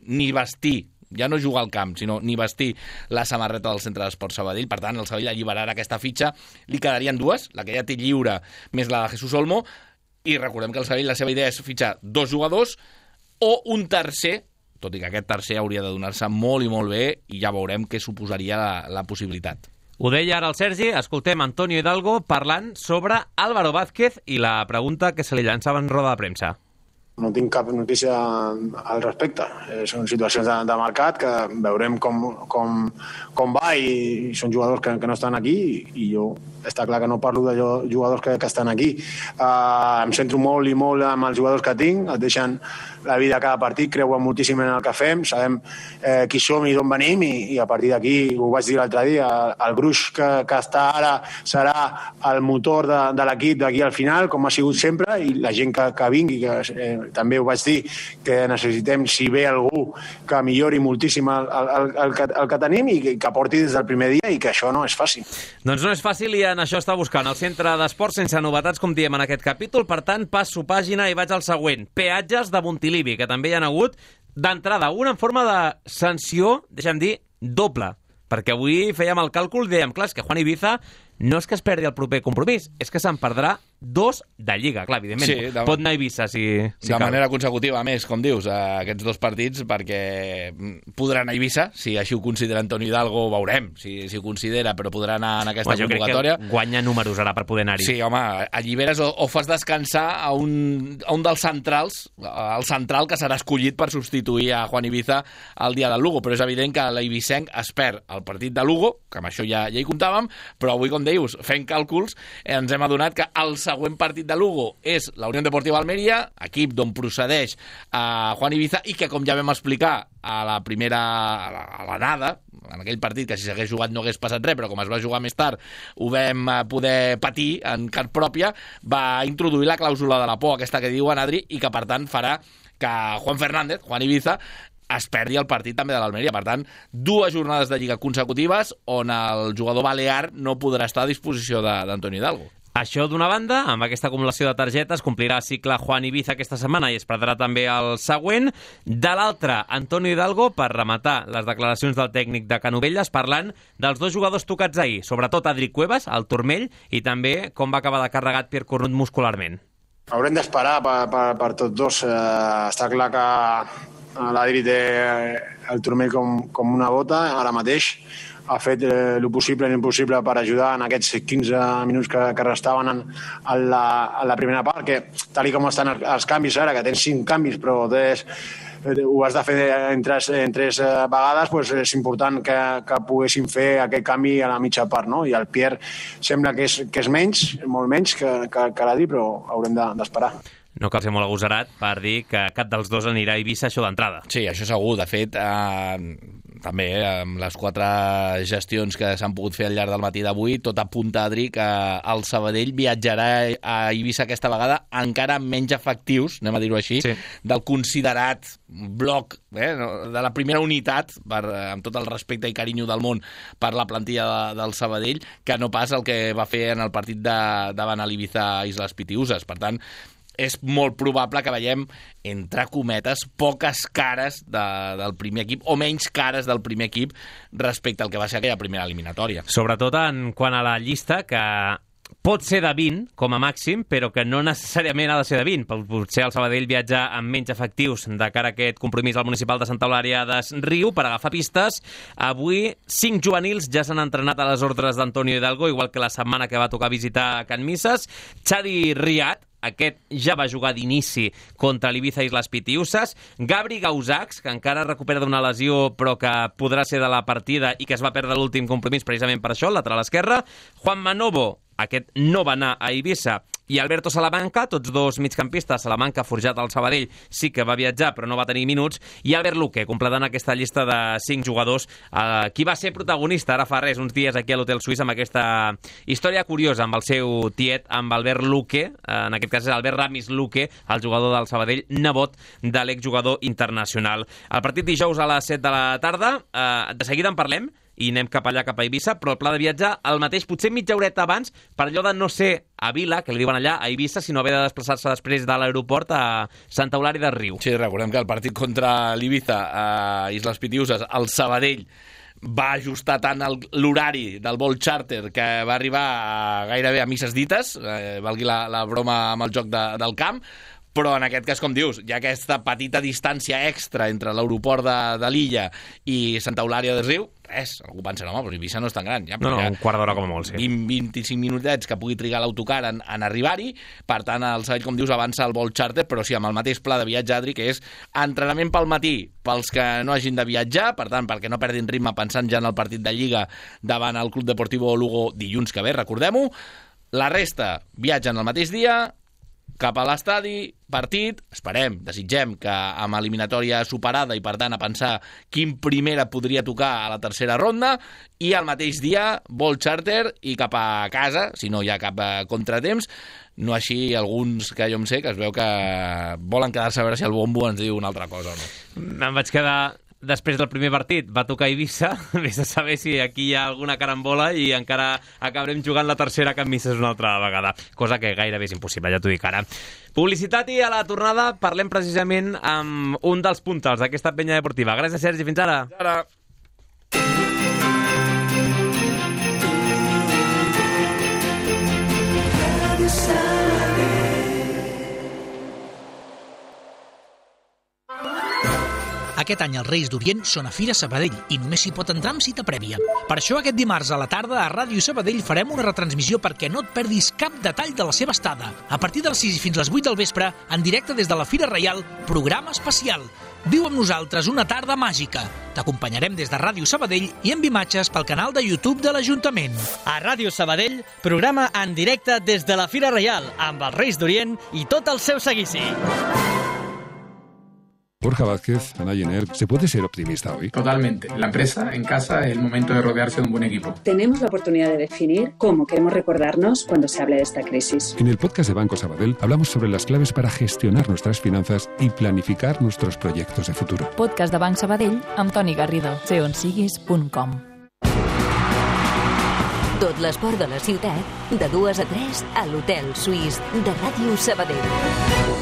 ni vestir, ja no jugar al camp, sinó ni vestir la samarreta del Centre d'Esports Sabadell. Per tant, el Sabadell alliberarà aquesta fitxa. Li quedarien dues, la que ja té lliure més la de Jesús Olmo, i recordem que el Sabadell la seva idea és fitxar 2 jugadors o un tercer, tot i que aquest tercer hauria de donar-se molt i molt bé, i ja veurem què suposaria la possibilitat. Ho deia ara el Sergi, escoltem Antonio Hidalgo parlant sobre Álvaro Vázquez i la pregunta que se li llançava en roda de premsa. No tinc cap notícia al respecte. Són situacions de mercat que veurem com va, i són jugadors que no estan aquí, i jo està clar que no parlo de jugadors que estan aquí. Em centro molt i molt amb els jugadors que tinc, et deixen la vida a cada partit, creuen moltíssim en el que fem, sabem qui som i d'on venim, i a partir d'aquí, ho vaig dir l'altre dia, el gruix que està ara serà el motor de l'equip d'aquí al final, com ha sigut sempre, i la gent que vingui, que també ho vaig dir, que necessitem, si ve algú, que millori moltíssim el que tenim i que porti des del primer dia, i que això no és fàcil. Doncs no és fàcil, i en això està buscant el Centre d'Esports, sense novetats, com diem en aquest capítol. Per tant, passo pàgina i vaig al següent. Peatges de Montilivi, que també hi ha hagut d'entrada una en forma de sanció, deixa'm dir, doble. Perquè avui fèiem el càlcul, dèiem, clar, és que Juan Ibiza no és que es perdi el proper compromís, és que se'n perdrà 2 de Lliga. Clar, evidentment, sí, pot anar a Eivissa si de manera consecutiva, a més, com dius, aquests 2 partits, perquè podrà anar a Eivissa, si així ho considera Antonio Hidalgo, ho veurem, si ho considera, però podrà anar en aquesta convocatòria. Jo crec que guanya números ara per poder anar-hi. Sí, home, alliberes o fas descansar a un dels centrals, el central que serà escollit per substituir a Juan Ibiza el dia del Lugo, però és evident que l'eivissenc es perd el partit de Lugo, que amb això ja hi comptàvem, però avui, com dius, fent càlculs, ens hem adonat que el següent partit de Lugo és la Unión Deportiva Almeria, equip d'on procedeix a Juan Ibiza, i que, com ja vam explicar a l'anada, en aquell partit que si s'hagués jugat no hagués passat res, però com es va jugar més tard ho vam poder patir en carn pròpia, va introduir la clàusula de la por, aquesta que diuen, Adri, i que per tant farà que Juan Ibiza es perdi el partit també de l'Almeria. Per tant, 2 jornades de Lliga consecutives on el jugador balear no podrà estar a disposició d'Antonio Hidalgo. Això d'una banda, amb aquesta acumulació de targetes, complirà el cicle Juan Ibiza aquesta setmana i es perdrà també el següent. De l'altra, Antonio Hidalgo, per rematar les declaracions del tècnic de Canovelles, parlant dels 2 jugadors tocats ahir, sobretot Adri Cuevas, al turmell, i també com va acabar de carregat Pierre Cornut muscularment. Haurem d'esperar per tots 2. Està clar que l'Adri té el turmell com una bota ara mateix. Ha fet el possible i l'impossible per ajudar en aquests 15 minuts que restaven a la primera part, que tal com estan els canvis ara, que tens 5 canvis, però ho has de fer en 3 vegades, doncs és important que poguessin fer aquest canvi a la mitja part, no? I el Pierre sembla que és menys, molt menys que l'Adri, però haurem d'esperar. No cal ser molt agosarat per dir que cap dels 2 anirà a Eivissa, això d'entrada. Sí, això segur. De fet, també amb les 4 gestions que s'han pogut fer al llarg del matí d'avui, tot apunta, Adri, que el Sabadell viatjarà a Eivissa aquesta vegada encara amb menys efectius, anem a dir-ho així, sí, del considerat bloc, de la primera unitat, amb tot el respecte i carinyo del món per la plantilla del Sabadell, que no pas el que va fer en el partit davant l'Ibiza Islas Pitiusas. Per tant, és molt probable que veiem, entre cometes, poques cares del primer equip, o menys cares del primer equip respecte al que va ser aquella primera eliminatòria. Sobretot en quant a la llista, que pot ser de 20, com a màxim, però que no necessàriament ha de ser de 20. Potser el Sabadell viatja amb menys efectius de cara a aquest compromís al municipal de Santa Eulària des Riu per agafar pistes. Avui, 5 juvenils ja s'han entrenat a les ordres d'Antonio Hidalgo, igual que la setmana que va tocar visitar Can Misses. Xavi Riat, aquest ja va jugar d'inici contra l'Ibiza i les Pitiusses. Gabri Gausacs, que encara recupera d'una lesió però que podrà ser de la partida i que es va perdre l'últim compromís precisament per això, el lateral esquerre. Juan Manovo, aquest no va anar a Eivissa, i Alberto Salamanca, tots dos migcampistes. Salamanca, forjat al Sabadell, sí que va viatjar però no va tenir minuts, i Albert Luque, completant aquesta llista de 5 jugadors, qui va ser protagonista ara fa res, uns dies aquí a l'Hotel Suís, amb aquesta història curiosa amb el seu tiet, amb Albert Luque, en aquest cas és Albert Ramis Luque, el jugador del Sabadell, nebot de l'exjugador internacional. El partit dijous a les 7 de la tarda, de seguida en parlem, i anem cap allà, cap a Eivissa, però el pla de viatge el mateix, potser mitja horeta abans, per allò de no ser a Vila, que li diuen allà, a Eivissa, sinó haver de desplaçar-se després de l'aeroport a Santa Eulària de Riu. Sí, recordem que el partit contra l'Ibiza a Isles Pitiuses, el Sabadell va ajustar tant l'horari del vol charter que va arribar gairebé a misses dites, valgui la broma amb el joc del camp, però en aquest cas, com dius, hi ha aquesta petita distància extra entre l'aeroport de l'illa i Santa Eulària de Riu. Res, algú pensa, home, però Eivissa no és tan gran. Ja, no, un quart d'hora com a molt, sí. 20-25 minutets que pugui trigar l'autocar en arribar-hi. Per tant, el Sabadell, com dius, avança el vol charter, però sí, amb el mateix pla de viatge, Adri, que és entrenament pel matí pels que no hagin de viatjar, per tant, perquè no perdin ritme pensant ja en el partit de Lliga davant el Club Deportivo Lugo dilluns que ve, recordem-ho. La resta viatgen el mateix dia, cap a l'estadi, partit, esperem, desitgem que amb eliminatòria superada i per tant a pensar quin primera podria tocar a la tercera ronda, i al mateix dia vol charter i cap a casa, si no hi ha cap contratemps, no així alguns que jo em sé que es veu que volen quedar-se a veure si el bombo ens diu una altra cosa o no. Em vaig quedar després del primer partit, va tocar Eivissa, vés a saber si aquí hi ha alguna carambola i encara acabarem jugant la tercera Can Misses una altra vegada, cosa que gairebé és impossible, ja t'ho dic ara. Publicitat, i a la tornada parlem precisament amb un dels puntals d'aquesta penya deportiva. Gràcies, Sergi, fins ara. Fins ara. Aquest any els Reis d'Orient són a Fira Sabadell i només s'hi pot entrar amb cita prèvia. Per això aquest dimarts a la tarda a Ràdio Sabadell farem una retransmissió perquè no et perdis cap detall de la seva estada. A partir de les 6 fins a les 8 del vespre, en directe des de la Fira Reial, programa especial. Viu amb nosaltres una tarda màgica. T'acompanyarem des de Ràdio Sabadell i amb imatges pel canal de YouTube de l'Ajuntament. A Ràdio Sabadell, programa en directe des de la Fira Reial, amb els Reis d'Orient i tot el seu seguici. Borja Vázquez, Ana Jenner, ¿se puede ser optimista hoy? Totalmente. La empresa, en casa, es el momento de rodearse de un buen equipo. Tenemos la oportunidad de definir cómo queremos recordarnos cuando se hable de esta crisis. En el podcast de Banco Sabadell hablamos sobre las claves para gestionar nuestras finanzas y planificar nuestros proyectos de futuro. Podcast de Banc Sabadell amb Toni Garrido. seonsiguis.com. Tot l'esport de la ciutat, de 2 a 3 a l'Hotel Suís de Ràdio Sabadell.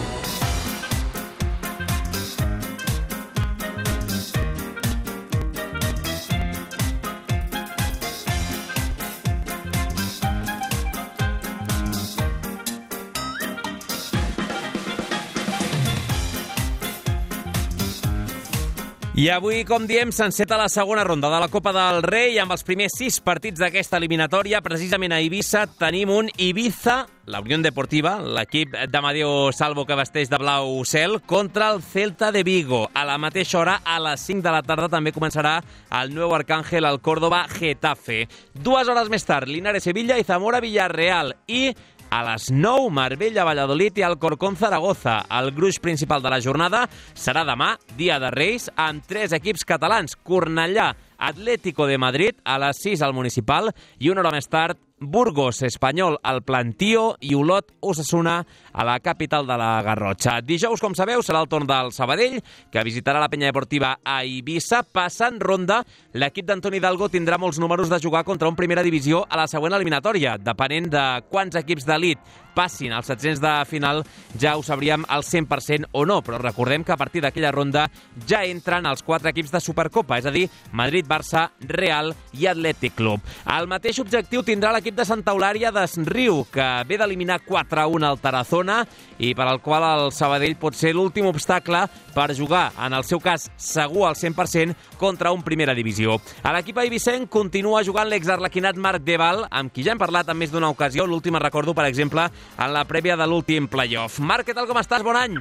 I avui, com diem, s'enceta la segona ronda de la Copa del Rei amb els primers 6 partits d'aquesta eliminatòria. Precisament a Eivissa tenim un Ibiza, la Unión Deportiva, l'equip d'Amadeo Salvo que vesteix de blau cel, contra el Celta de Vigo. A la mateixa hora, a les 5 de la tarda, també començarà el nou Arcángel al Córdoba Getafe. 2 hores més tard, Linares Sevilla i Zamora Villarreal. I a les 9, Marbella, Valladolid i Alcorcón, Zaragoza. El gruix principal de la jornada serà demà, dia de Reis, amb 3 equips catalans. Cornellà, Atlético de Madrid, a les 6 al Municipal, i una hora més tard, Burgos, Espanyol, al Plantío, i Olot, Osasuna, a la capital de la Garrotxa. Dijous, com sabeu, serà el torn del Sabadell, que visitarà la penya deportiva a Eivissa. Passant ronda, l'equip d'Antoni Hidalgo tindrà molts números de jugar contra un primera divisió a la següent eliminatòria. Depenent de quants equips d'elit passin als 700 de final, ja ho sabríem al 100% o no, però recordem que a partir d'aquella ronda ja entren els 4 equips de Supercopa, és a dir, Madrid, Barça, Real i Atlètic Club. El mateix objectiu tindrà l'equip l'equip de Santa Eulària d'Esriu, que ve d'eliminar 4-1 al Tarazona i per al qual el Sabadell pot ser l'últim obstacle per jugar, en el seu cas segur al 100%, contra un primera divisió. A l'equip eivissenc continua jugant l'exarlequinat Marc Deval, amb qui ja hem parlat en més d'una ocasió. L'última recordo, per exemple, en la prèvia de l'últim playoff. Marc, què tal, com estàs? Bon any!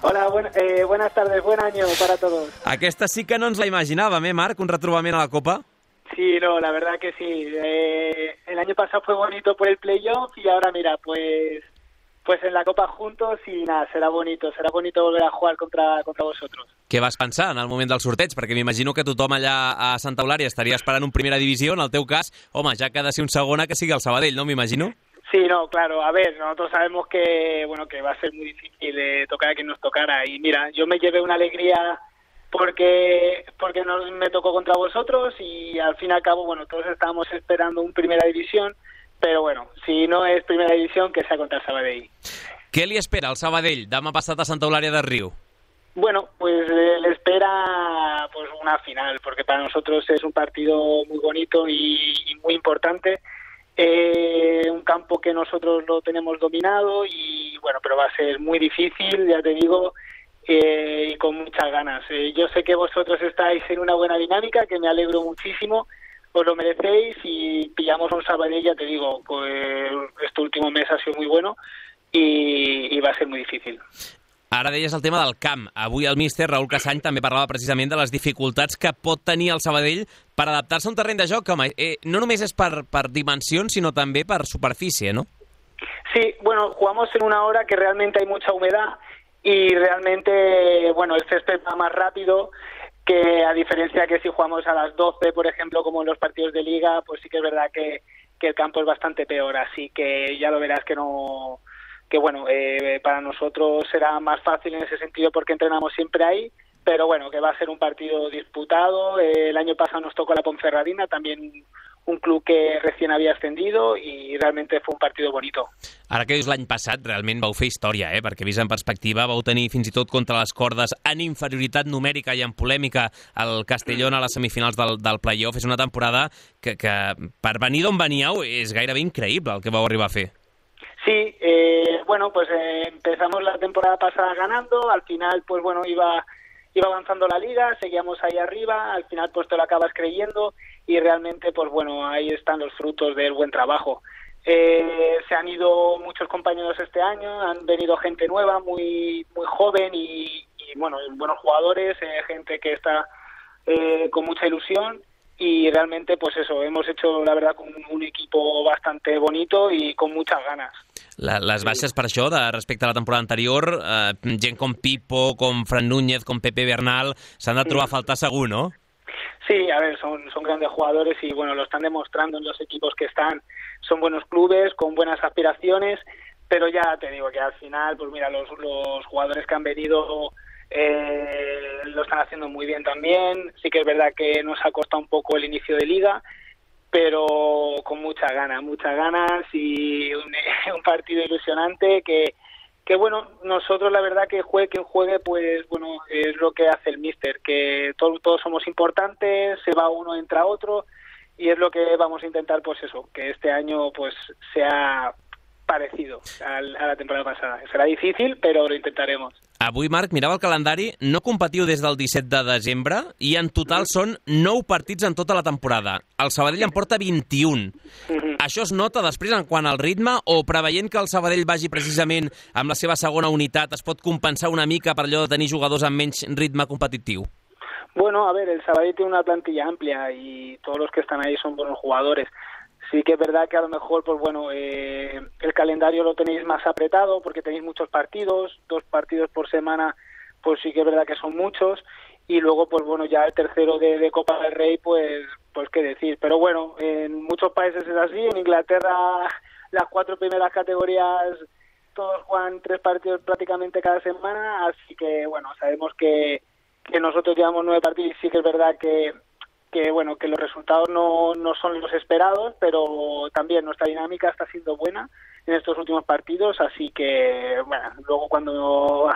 Hola, buenas tardes, buen año para todos. Aquesta sí que no ens la imaginàvem, Marc? Un retrobament a la Copa. Sí, no, la verdad que sí. El año pasado fue bonito por el playoff y ahora, mira, pues en la Copa juntos y nada, será bonito volver a jugar contra vosotros. Què vas pensar en el moment del sorteig? Perquè m'imagino que tothom allà a Santa Eulària estaria esperant un primera divisió. En el teu cas, home, ja que ha de ser un segona, que sigui el Sabadell, no m'imagino? Sí, no, claro, a ver, nosotros sabemos que va a ser muy difícil tocar a quien nos tocara y mira, yo me llevé una alegría porque me tocó contra vosotros y al fin y al cabo, todos estábamos esperando un primera división, pero si no es primera división, que sea contra el Sabadell. Què li espera al Sabadell demà passat a Santa Eulària de Riu? Bueno, pues le espera una final, porque para nosotros es un partido muy bonito y muy importante. Un campo que nosotros lo tenemos dominado y pero va a ser muy difícil, ya te digo, y con muchas ganas. Yo sé que vosotros estáis en una buena dinámica, que me alegro muchísimo, os lo merecéis y pillamos un Sabadell, ya te digo, pues este último mes ha sido muy bueno y va a ser muy difícil. Ara deies el tema del camp. Avui el míster Raül Casany també parlava precisament de les dificultats que pot tenir el Sabadell per adaptar-se a un terreny de joc, home, no només és per dimensions, sinó també per superfície, ¿no? Sí, jugamos en una hora que realmente hay mucha humedad y realmente, el césped va más rápido, que a diferencia que si jugamos a las 12, por ejemplo, como en los partidos de Liga, pues sí que es verdad que el campo es bastante peor, así que ya lo verás que para nosotros será más fácil en ese sentido porque entrenamos siempre ahí, pero que va a ser un partido disputado. El año pasado nos tocó la Ponferradina, también un club que recién havia ascendido i realment fue un partido bonito. Ara que dius l'any passat, realment vau fer història, perquè vist en perspectiva vau tenir fins i tot contra les cordes en inferioritat numèrica i en polèmica el Castellón a les semifinals del playoff. És una temporada que per venir d'on veníeu és gairebé increïble el que vau arribar a fer. Sí, empezamos la temporada pasada ganando, al final iba avanzando la liga, seguíamos ahí arriba, al final te lo acabas creyendo y realmente ahí están los frutos del buen trabajo. Se han ido muchos compañeros este año, han venido gente nueva, muy joven y buenos jugadores, gente que está con mucha ilusión. Y realmente, hemos hecho, la verdad, un equipo bastante bonito y con muchas ganas. Les baixes per això, respecte a la temporada anterior, gent com Pipo, com Fran Núñez, com Pepe Bernal, s'han de trobar a faltar segur, ¿no? Sí, a ver, son grandes jugadores y lo están demostrando en los equipos que están. Son buenos clubes, con buenas aspiraciones, pero ya te digo que al final, los jugadores que han venido lo están haciendo muy bien también. Sí que es verdad que nos ha costado un poco el inicio de liga, pero con muchas ganas y un partido ilusionante que nosotros la verdad que juegue quien juegue, es lo que hace el míster, que todos somos importantes, se va uno, entra otro y es lo que vamos a intentar, que este año sea parecido a la temporada passada. Serà difícil, però lo intentaremos. Avui, Marc, mirava el calendari, no competiu des del 17 de desembre i en total són 9 partits en tota la temporada. El Sabadell en porta 21. Això es nota després en quant al ritme o preveient que el Sabadell vagi precisament amb la seva segona unitat es pot compensar una mica per allò de tenir jugadors amb menys ritme competitiu? Bueno, a ver, el Sabadell tiene una plantilla amplia y todos los que están ahí son buenos jugadores. Sí que es verdad que a lo mejor, el calendario lo tenéis más apretado porque tenéis muchos partidos, 2 partidos por semana, sí que es verdad que son muchos, y luego, ya el tercero de Copa del Rey, pues qué decir. Pero en muchos países es así, en Inglaterra las 4 primeras categorías todos juegan 3 partidos prácticamente cada semana, así que, sabemos que nosotros llevamos 9 partidos y sí que es verdad que los resultados no son los esperados, pero también nuestra dinámica está siendo buena en estos últimos partidos, así que luego cuando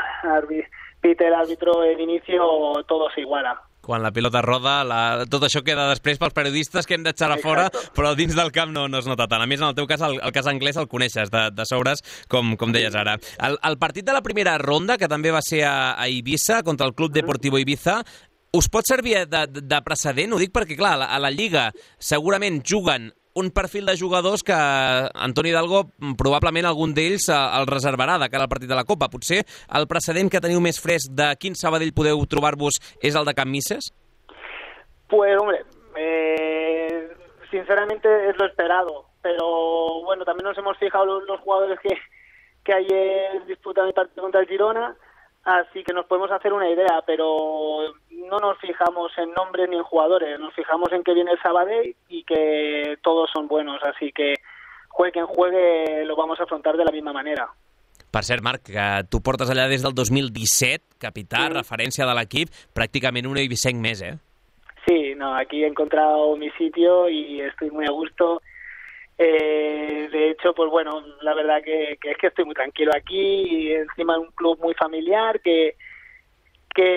pite el árbitro el inicio todo se iguala. quan la pilota roda, tot això queda després pels periodistes que hem d'eixar a fora, però dins del camp no es nota tant. A més, en el teu cas, el cas anglès el coneixes de sobres, com deies ara. El partit de la primera ronda, que també va ser a Eivissa, contra el Club Deportivo Ibiza, us pot servir de precedent? Ho dic perquè, clar, a la Lliga segurament juguen un perfil de jugadors que Antoni Hidalgo probablement algun d'ells el reservarà de cara al partit de la Copa. Potser el precedent que teniu més fresc de quin Sabadell podeu trobar-vos és el de Can Misses? Pues, hombre, sinceramente es lo esperado, pero bueno, también nos hemos fijado los jugadores que ayer disputan el partido contra el Girona, así que nos podemos hacer una idea, pero no nos fijamos en nombres ni en jugadores, nos fijamos en que viene el Sabadell y que todos son buenos, así que juegue quien juegue lo vamos a afrontar de la misma manera. Per cert, Marc, que tu portes allà des del 2017, capità, referència de l'equip, pràcticament un eivissenc més, eh? Sí, no, aquí he encontrado mi sitio y estoy muy a gusto. De hecho, pues bueno, la verdad que es que estoy muy tranquilo aquí y encima de un club muy familiar que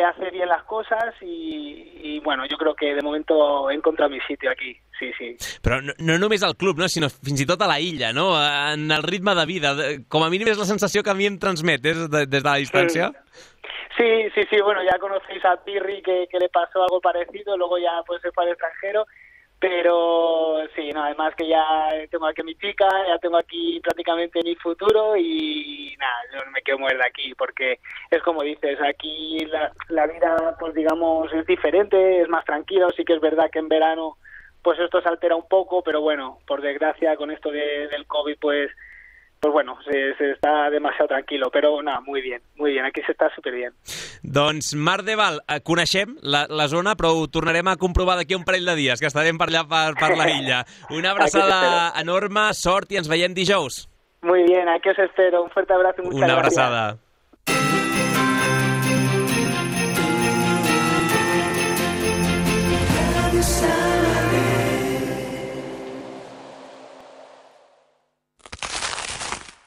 hace bien las cosas y bueno, yo creo que de momento he encontrado mi sitio aquí, sí. Però no només al club, no, sinó fins i tot a la illa, no? En el ritme de vida. Com a mínim és la sensació que a mi em transmet des de la distància. Sí, bueno, ya conocéis a Pirri que le pasó algo parecido, luego ya pues se fue al extranjero. Pero sí, no, además que ya tengo aquí mi chica, ya tengo aquí prácticamente mi futuro y nada, yo me quiero mover de aquí porque es como dices, aquí la vida pues digamos es diferente, es más tranquilo, sí que es verdad que en verano pues esto se altera un poco, pero bueno, por desgracia con esto del COVID pues bueno, se está demasiado tranquilo, però nada, muy bien, aquí se está superbien. Doncs Marc de Val, coneixem la zona, però ho tornarem a comprovar d'aquí un parell de dies, que estarem per allà per la illa. Una abraçada enorme, sort i ens veiem dijous. Muy bien, aquí os espero, un fuerte abrazo y muchas gracias. Una abraçada.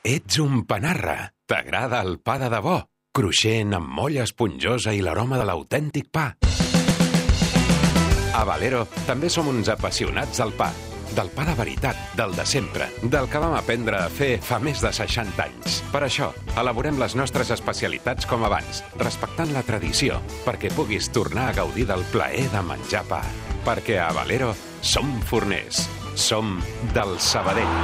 Ets un panarra. T'agrada el pa de debò? Cruixent, amb molla esponjosa i l'aroma de l'autèntic pa. A Valero també som uns apassionats del pa. Del pa de veritat, del de sempre, del que vam aprendre a fer fa més de 60 anys. Per això, elaborem les nostres especialitats com abans, respectant la tradició, perquè puguis tornar a gaudir del plaer de menjar pa. Perquè a Valero som forners. Som del Sabadell.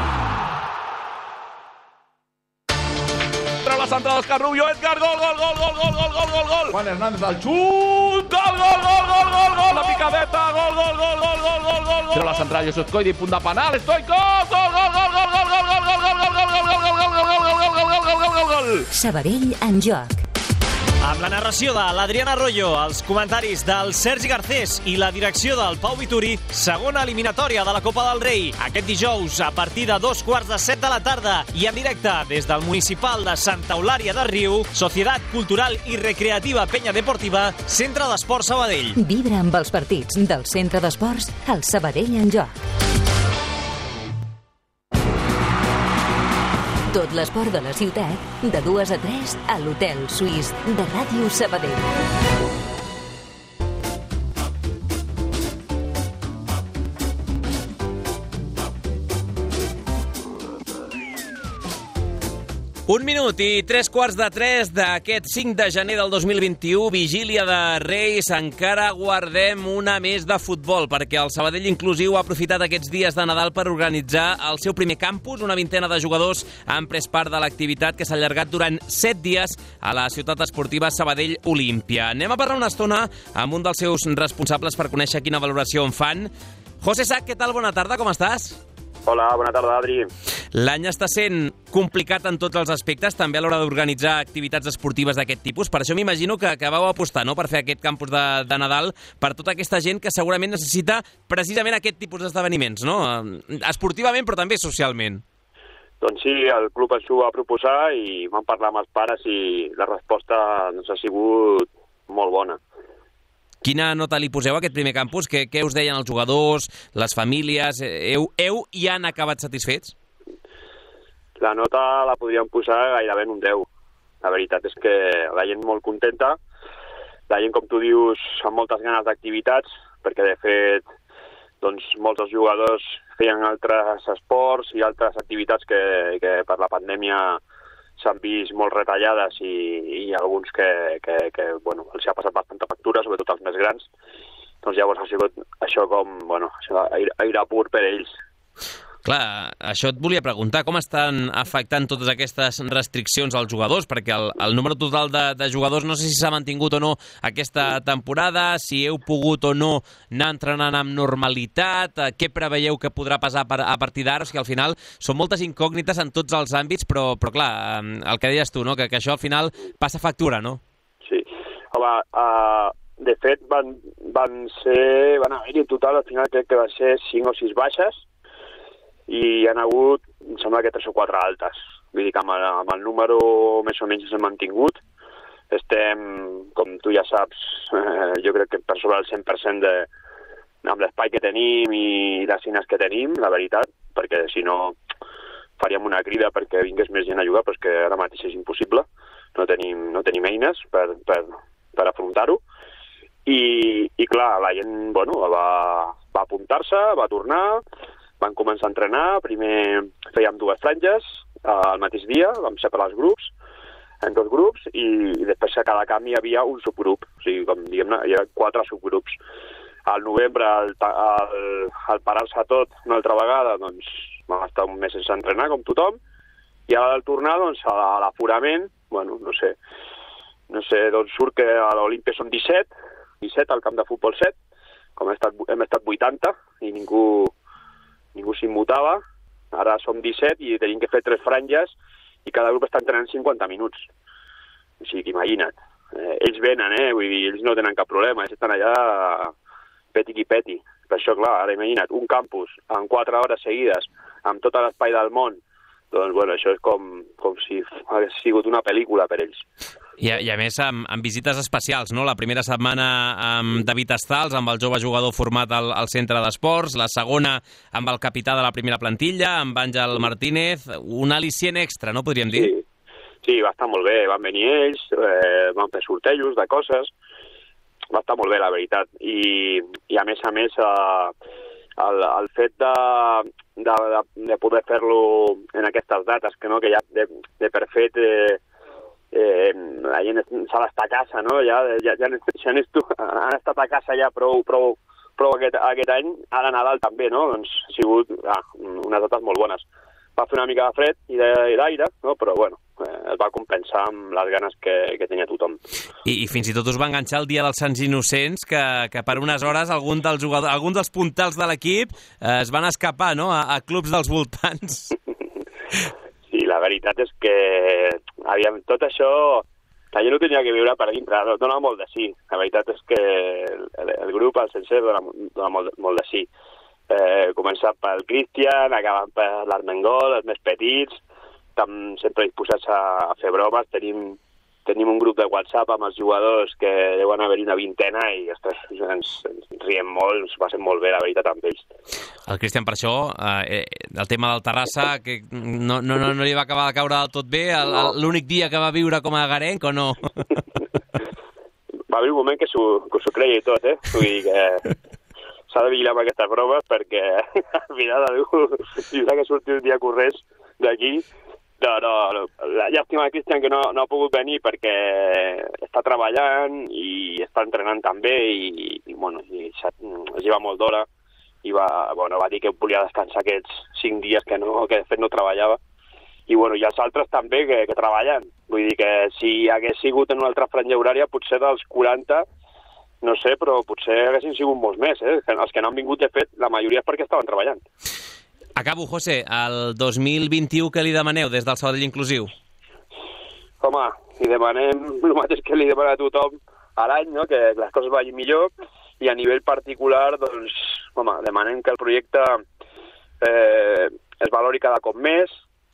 La centrada d'Òscar Rubio, Edgar, gol! Juan Hernández al xut, gol! La picadeta, gol! Tira la centrada, Josep Coidi, punt de penal, Stoikov, gol! Sabadell en joc. Amb la narració de l'Adriana Arroyo, els comentaris del Sergi Garcés i la direcció del Pau Vituri, segona eliminatòria de la Copa del Rei. Aquest dijous, a partir de 6:45 de la tarda i en directe des del municipal de Santa Eulària de Riu, Societat Cultural i Recreativa Penya Deportiva, Centre d'Esports Sabadell. Vibra amb els partits del Centre d'Esports, el Sabadell en joc. Tot l'esport de la ciutat, de 2 a 3 a l'Hotel Suís de Ràdio Sabadell. Un minut i 3:45 d'aquest 5 de gener del 2021, vigília de Reis, encara guardem una més de futbol, perquè el Sabadell Inclusiu ha aprofitat aquests dies de Nadal per organitzar el seu primer campus. Una vintena de jugadors han pres part de l'activitat que s'ha allargat durant 7 dies a la ciutat esportiva Sabadell Olímpia. Anem a parlar una estona amb un dels seus responsables per conèixer quina valoració en fan. José Sac, què tal? Bona tarda, com estàs? Hola, bona tarda, Adri. L'any està sent complicat en tots els aspectes, també a l'hora d'organitzar activitats esportives d'aquest tipus. Per això m'imagino que vau apostar, no?, per fer aquest campus de Nadal per tota aquesta gent que segurament necessita precisament aquest tipus d'esdeveniments, no?, esportivament però també socialment. Doncs sí, el club ens ho va proposar i vam parlar amb els pares i la resposta doncs, ha sigut molt bona. Quina nota li poseu a aquest primer campus? Què us deien els jugadors, les famílies? Heu i han acabat satisfets? La nota la podríem posar gairebé en un 10. La veritat és que la gent molt contenta. la gent, com tu dius, amb moltes ganes d'activitats, perquè de fet doncs, molts dels jugadors feien altres esports i altres activitats que per la pandèmia s'han vist molt retallades i alguns que bueno, els ha passat bastanta factura, sobretot els més grans. Doncs llavors ha sigut això com, bueno, aire pur per ells. Clar, això et volia preguntar, com estan afectant totes aquestes restriccions als jugadors? Perquè el número total de jugadors no sé si s'ha mantingut o no aquesta temporada, si heu pogut o no anar entrenant amb normalitat, què preveieu que podrà passar a partir d'ara? O sigui, al final són moltes incògnites en tots els àmbits, però clar, el que deies tu, no? que això al final passa factura, no? Sí, home, de fet van haver-hi en total, al final crec que va ser 5 o 6 baixes, i hi ha hagut, em sembla que 3 o 4 altes. Vull dir que amb el número més o menys s'ha mantingut. Estem, com tu ja saps, jo crec que per sobre el 100% amb l'espai que tenim i les eines que tenim, la veritat, perquè si no faríem una crida perquè vingués més gent a jugar, però és que ara mateix és impossible. No tenim eines per afrontar-ho. I clar, la gent va apuntar-se, va tornar, van començar a entrenar, primer fèiem 2 franges al mateix dia, vam separar els grups, en 2 grups, i després a cada camp hi havia un subgrup, o sigui, com diguem-ne, hi havia 4 subgrups. Al novembre, al parar-se tot una altra vegada, doncs vam estar un mes sense entrenar, com tothom, i ara al tornar, doncs, a l'aforament, bueno, no sé, doncs surt que a l'Olimpia són 17 al camp de futbol 7, com hem estat 80, i ningú s'immutava, ara som 17 i tenim que fer 3 franges i cada grup està entrenant 50 minuts. O sigui, imagina't. Ells venen, vull dir, ells no tenen cap problema, ells estan allà peti qui peti. Per això, clar, ara imagina't, un campus en 4 hores seguides, amb tot l'espai del món, doncs, bueno, això és com si hagués sigut una pel·lícula per ells. I a més, amb visites especials, no? La primera setmana amb David Estals, amb el jove jugador format al centre d'esports, la segona amb el capità de la primera plantilla, amb Àngel Martínez, un al·licient extra, no podríem dir? Sí, va estar molt bé, van venir ells, van fer sortejos de coses, va estar molt bé, la veritat. I a més, el fet de poder fer-lo en aquestes dates, que ja de per fet la gent s'ha d'estar a casa, no? Ja han estat a casa ja prou aquest any, ara Nadal també, no? Doncs ha sigut unes dates molt bones. Va fer una mica de fred i d'aire, no? Però bueno, es va compensar amb les ganes que tenia tothom. I fins i tot us va enganxar el dia dels Sants Innocents, que per unes hores algun dels puntals de l'equip es van escapar, no? A clubs dels voltants. Sí, la veritat és que tot això la gent ho tenia que viure per dintre, dona molt de sí. La veritat és que el grup, el sencer, dona molt de sí. Començar pel Cristian, acabant per l'Armengol, els més petits, sempre disposats a fer bromes. Tenim un grup de WhatsApp amb els jugadors que deuen haver-hi una vintena i ens riem molt, ens passem molt bé, la veritat, amb ells. El Cristian, per això, el tema del Terrassa, que no li va acabar de caure del tot bé, l'únic dia que va viure com a garenc, o no? Va haver un moment que s'ho creia i tot, Vull dir que s'ha de vigilar amb aquestes bromes perquè al final algú tindrà que sortir un dia corrents d'aquí. No, la llàstima de Cristian que no ha pogut venir perquè està treballant i està entrenant també i es lleva molt d'hora i va dir que volia descansar aquests 5 dies que de fet no treballava i els altres també que treballen. Vull dir que si hagués sigut en una altra franja horària potser dels 40, no sé, però potser haguessin sigut molts més, Els que no han vingut, de fet, la majoria és perquè estaven treballant. Acabo, José. El 2021 què li demaneu des del Sabadell Inclusiu? Home, li demanem el mateix que li demana a tothom a l'any, no? Que les coses vagin millor i a nivell particular, doncs, demanem que el projecte es valori cada cop més,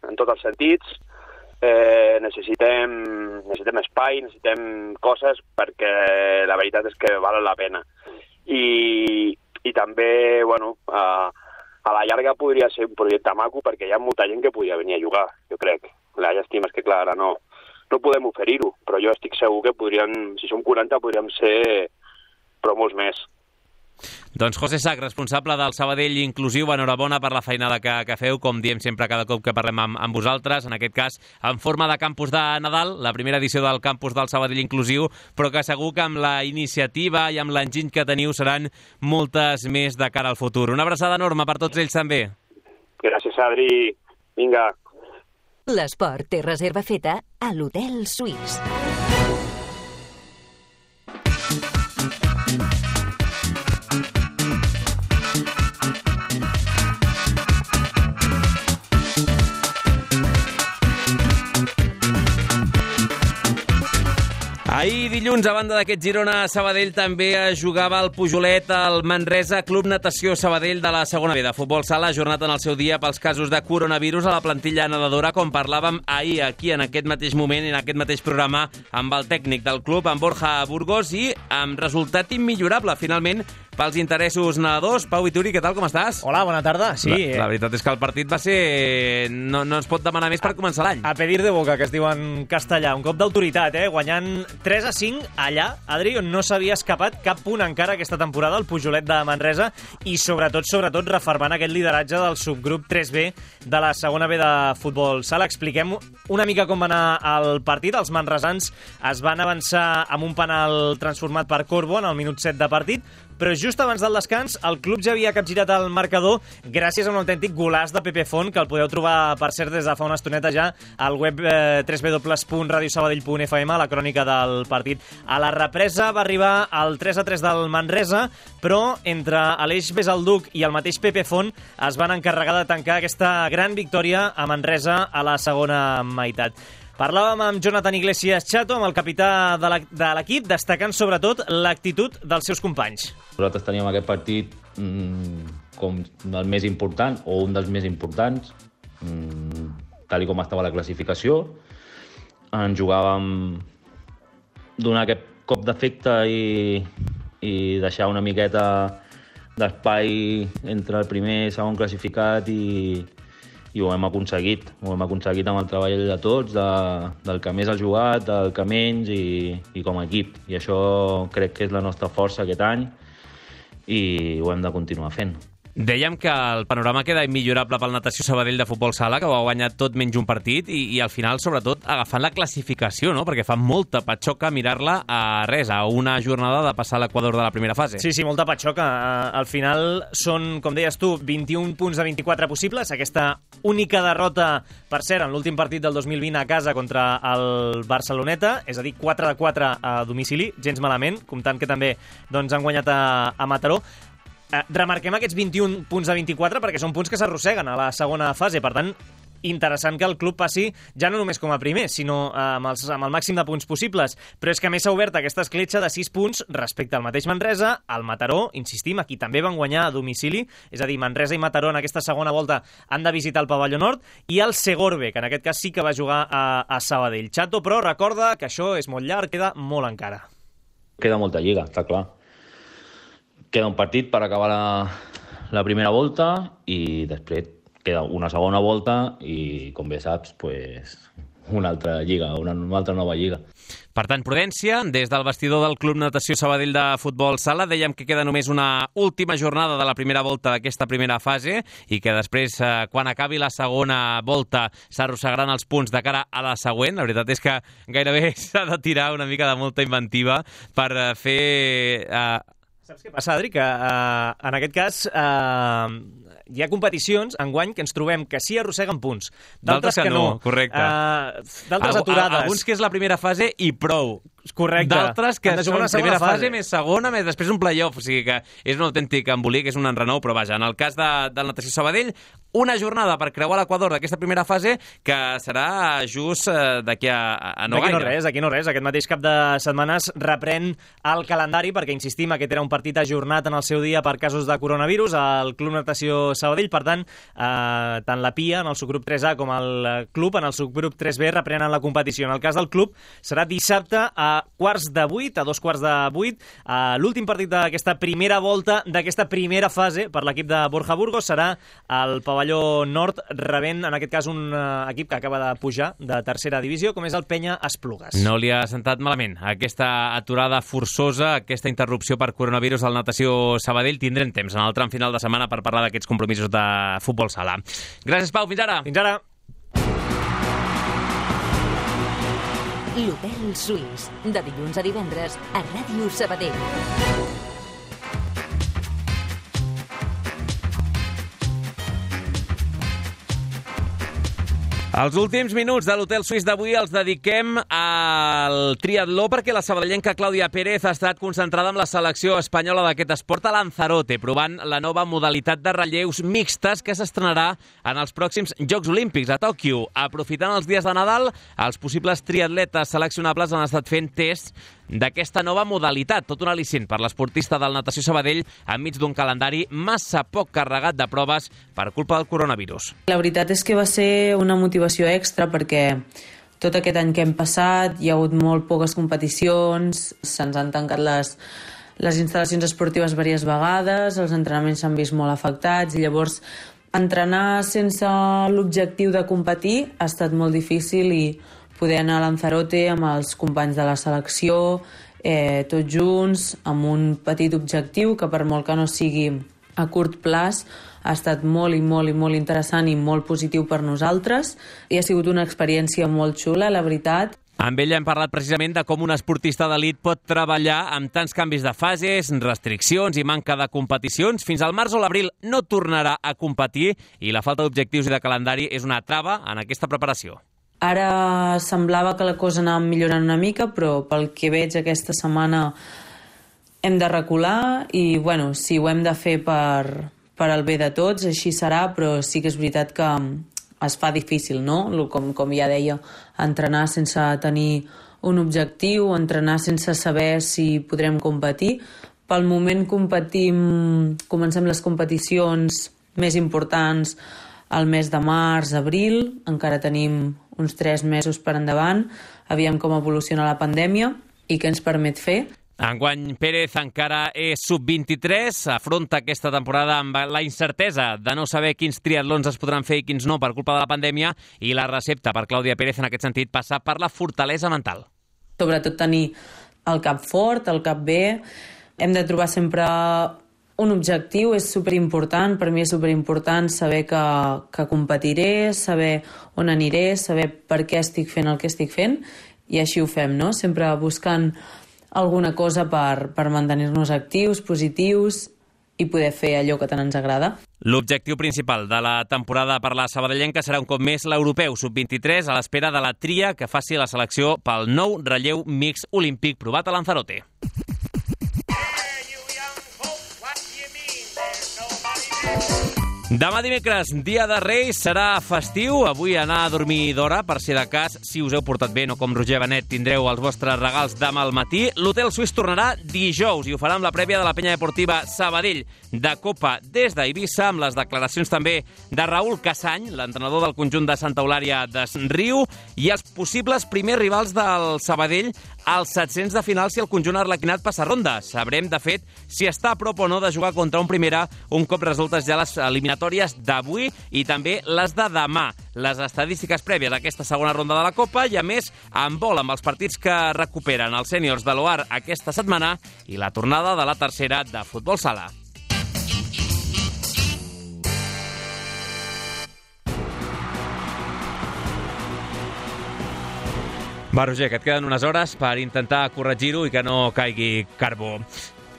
en tots els sentits. Necessitem espai, necessitem coses perquè la veritat és que valen la pena. I també, a la llarga podria ser un projecte maco perquè hi ha molta gent que podria venir a jugar, jo crec. La llàstima és que, clar, ara no no podem oferir-ho, però jo estic segur que si som 40 podríem ser però molts més. Doncs José Sac, responsable del Sabadell Inclusiu, enhorabona per la feinada que feu, com diem sempre cada cop que parlem amb vosaltres, en aquest cas en forma de campus de Nadal, la primera edició del campus del Sabadell Inclusiu, però que segur que amb la iniciativa i amb l'enginy que teniu seran moltes més de cara al futur. Una abraçada enorme per tots ells també. Gràcies, Adri. Vinga. L'esport té reserva feta a l'Hotel Suís. Ahir dilluns, a banda d'aquest Girona-Sabadell, també es jugava el Pujolet al Manresa Club Natació Sabadell de la segona B de futbol sala, ajornat en el seu dia pels casos de coronavirus a la plantilla nedadora, com parlàvem ahir aquí en aquest mateix moment, en aquest mateix programa, amb el tècnic del club, amb Borja Burgos, i amb resultat immillorable, finalment, pels interessos nedadors. Pau Vituri, què tal, com estàs? Hola, bona tarda. Sí. La veritat és que el partit va ser... No es pot demanar més per començar l'any. A pedir de boca, que es diu en castellà. Un cop d'autoritat, guanyant 3-5 allà, Adri, on no s'havia escapat cap punt encara aquesta temporada, el Pujolet de Manresa, i sobretot, refermant aquest lideratge del subgrup 3B de la segona B de futbol sala. Expliquem una mica com va anar el partit. Els manresans es van avançar amb un penal transformat per Corbo en el minut 7 de partit, però just abans del descans el club ja havia capgirat el marcador gràcies a un autèntic golaç de Pepe Font, que el podeu trobar, per cert, des de fa una estoneta ja al web www.radiosabadell.fm, a la crònica del partit. A la represa va arribar el 3-3 del Manresa, però entre Aleix Besalduc i el mateix Pepe Font es van encarregar de tancar aquesta gran victòria a Manresa a la segona meitat. Parlàvem amb Jonathan Iglesias Chato, amb el capità de l'equip, destacant sobretot l'actitud dels seus companys. Nosaltres teníem aquest partit com el més important, o un dels més importants, tal com estava la classificació. Ens jugàvem donar aquest cop d'efecte i deixar una miqueta d'espai entre el primer i segon classificat i ho hem aconseguit. Ho hem aconseguit amb el treball de tots, del que més ha jugat, del que menys i com a equip. I això crec que és la nostra força aquest any i ho hem de continuar fent. Dèiem que el panorama queda immillorable pel Natació Sabadell de futbol sala, que ho ha guanyat tot menys un partit, i al final, sobretot, agafant la classificació, no? Perquè fa molta patxoca mirar-la a res, a una jornada de passar l'equador de la primera fase. Sí, molta patxoca. Al final són, com deies tu, 21 punts de 24 possibles. Aquesta única derrota, per cert, en l'últim partit del 2020 a casa contra el Barceloneta, és a dir, 4-4 a domicili, gens malament, comptant que també han guanyat a Mataró. Remarquem aquests 21 punts de 24 perquè són punts que s'arrosseguen a la segona fase. Per tant, interessant que el club passi ja no només com a primer, sinó amb el màxim de punts possibles. Però és que a més s'ha obert aquesta escletxa de 6 punts respecte al mateix Manresa, al Mataró, insistim, aquí també van guanyar a domicili, és a dir, Manresa i Mataró en aquesta segona volta han de visitar el Pavelló Nord, i el Segorbe, que en aquest cas sí que va jugar a Sabadell. Chato, però, recorda que això és molt llarg, queda molt encara. Queda molta lliga, està clar. Queda un partit per acabar la primera volta i després queda una segona volta i, com bé saps, una altra lliga, una altra nova lliga. Per tant, prudència, des del vestidor del Club Natació Sabadell de futbol sala, dèiem que queda només una última jornada de la primera volta d'aquesta primera fase i que després, quan acabi la segona volta, s'arrossegaran els punts de cara a la següent. La veritat és que gairebé s'ha de tirar una mica de molta inventiva per fer... Saps què passa, Adri? Que en aquest cas hi ha competicions enguany que ens trobem que sí arrosseguen punts, d'altres que no. Correcte. D'altres aturades. Alguns que és la primera fase i prou. Correcte. D'altres que són primera fase, més segona, més després un play-off. O sigui que és un autèntic embolic, és un enrenou, però vaja, en el cas del Natació Sabadell, una jornada per creuar l'equador d'aquesta primera fase que serà just d'aquí a no gaire. D'aquí no res. Aquest mateix cap de setmanes reprèn el calendari perquè, insistim, aquest era un partit ajornat en el seu dia per casos de coronavirus al Club Natació Sabadell. Per tant, tant la PIA en el subgrup 3A com el club en el subgrup 3B reprenen la competició. En el cas del club serà dissabte a a 7:15, a 7:45. L'últim partit d'aquesta primera volta, d'aquesta primera fase per l'equip de Borja Burgos serà al pavelló nord, rebent en aquest cas un equip que acaba de pujar de tercera divisió, com és el Penya Esplugues. No li ha sentat malament aquesta aturada forçosa, aquesta interrupció per coronavirus al Natació Sabadell. Tindrem temps en el tram final de setmana per parlar d'aquests compromisos de futbol sala. Gràcies, Pau. Fins ara. Fins ara. L'Hotel Suís, de dilluns a divendres a Ràdio Sabadell. Els últims minuts de l'Hotel Suís d'avui els dediquem al triatló perquè la sabadellenca Clàudia Pérez ha estat concentrada amb la selecció espanyola d'aquest esport a Lanzarote, provant la nova modalitat de relleus mixtes que s'estrenarà en els pròxims Jocs Olímpics a Tòquio. Aprofitant els dies de Nadal, els possibles triatletes seleccionables han estat fent tests d'aquesta nova modalitat, tot un al·licient per l'esportista del Natació Sabadell enmig d'un calendari massa poc carregat de proves per culpa del coronavirus. La veritat és que va ser una motivació extra perquè tot aquest any que hem passat hi ha hagut molt poques competicions, se'ns han tancat les instal·lacions esportives diverses vegades, els entrenaments s'han vist molt afectats i llavors entrenar sense l'objectiu de competir ha estat molt difícil i poder anar a Lanzarote amb els companys de la selecció, tots junts, amb un petit objectiu que per molt que no sigui a curt plaç ha estat molt i molt i molt interessant i molt positiu per nosaltres i ha sigut una experiència molt xula, la veritat. Amb ella hem parlat precisament de com un esportista d'elit pot treballar amb tants canvis de fases, restriccions i manca de competicions. Fins al març o l'abril no tornarà a competir i la falta d'objectius i de calendari és una trava en aquesta preparació. Ara semblava que la cosa anava millorant una mica, però pel que veig aquesta setmana hem de recular i, bueno, si ho hem de fer per al bé de tots, així serà, però sí que és veritat que es fa difícil, no? Com ja deia, entrenar sense tenir un objectiu, entrenar sense saber si podrem competir. Pel moment comencem les competicions més importants al mes de març, abril, encara tenim uns 3 mesos per endavant, aviam com evoluciona la pandèmia i què ens permet fer. Enguany Pérez encara és sub-23, afronta aquesta temporada amb la incertesa de no saber quins triatlons es podran fer i quins no per culpa de la pandèmia, i la recepta per Clàudia Pérez en aquest sentit passa per la fortalesa mental. Sobretot tenir el cap fort, el cap bé, hem de trobar sempre un objectiu, és superimportant, per mi és superimportant saber que competiré, saber on aniré, saber per què estic fent el que estic fent, i així ho fem, no? Sempre buscant alguna cosa per mantenir-nos actius, positius i poder fer allò que tant ens agrada. L'objectiu principal de la temporada per la sabadellenca serà un cop més l'europeu sub-23 a l'espera de la tria que faci la selecció pel nou relleu mix olímpic provat a Lanzarote. Demà dimecres, dia de Reis, serà festiu. Avui anar a dormir d'hora, per si de cas, si us heu portat bé, no com Roger Benet, tindreu els vostres regals demà al matí. L'Hotel Suís tornarà dijous i ho farà amb la prèvia de la penya deportiva Sabadell de Copa des d'Eivissa, amb les declaracions també de Raül Casany, l'entrenador del conjunt de Santa Eulària d'Es Riu, i els possibles primers rivals del Sabadell als 700 de final si el conjunt arlequinat passa ronda. Sabrem, de fet, si està a prop o no de jugar contra un primera un cop resultes ja les eliminatòries d'avui i també les de demà. Les estadístiques prèvies d'aquesta segona ronda de la Copa i, a més, en vol amb els partits que recuperen els sèniors de l'OAR aquesta setmana i la tornada de la tercera de futbol sala. Va, Roger, que et queden unes hores per intentar corregir-ho i que no caigui carbó.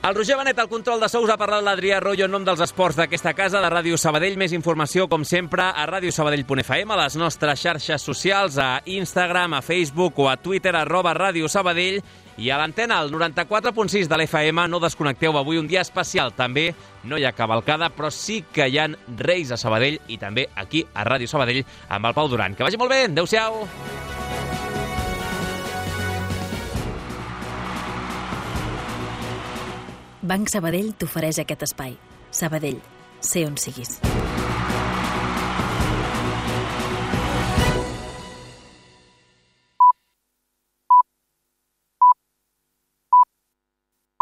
El Roger Benet, al control de sous, ha parlat l'Adrià Royo en nom dels esports d'aquesta casa, de Ràdio Sabadell. Més informació, com sempre, a radiosabadell.fm, a les nostres xarxes socials, a Instagram, a Facebook o a Twitter, @Ràdio Sabadell, i a l'antena, al 94.6 de l'FM. No desconnecteu, avui un dia especial. També no hi ha cavalcada, però sí que hi ha Reis a Sabadell i també aquí a Ràdio Sabadell amb el Pau Duran. Que vagi molt bé, adeu-siau! Banc Sabadell t'ofereix aquest espai. Sabadell, sé on siguis.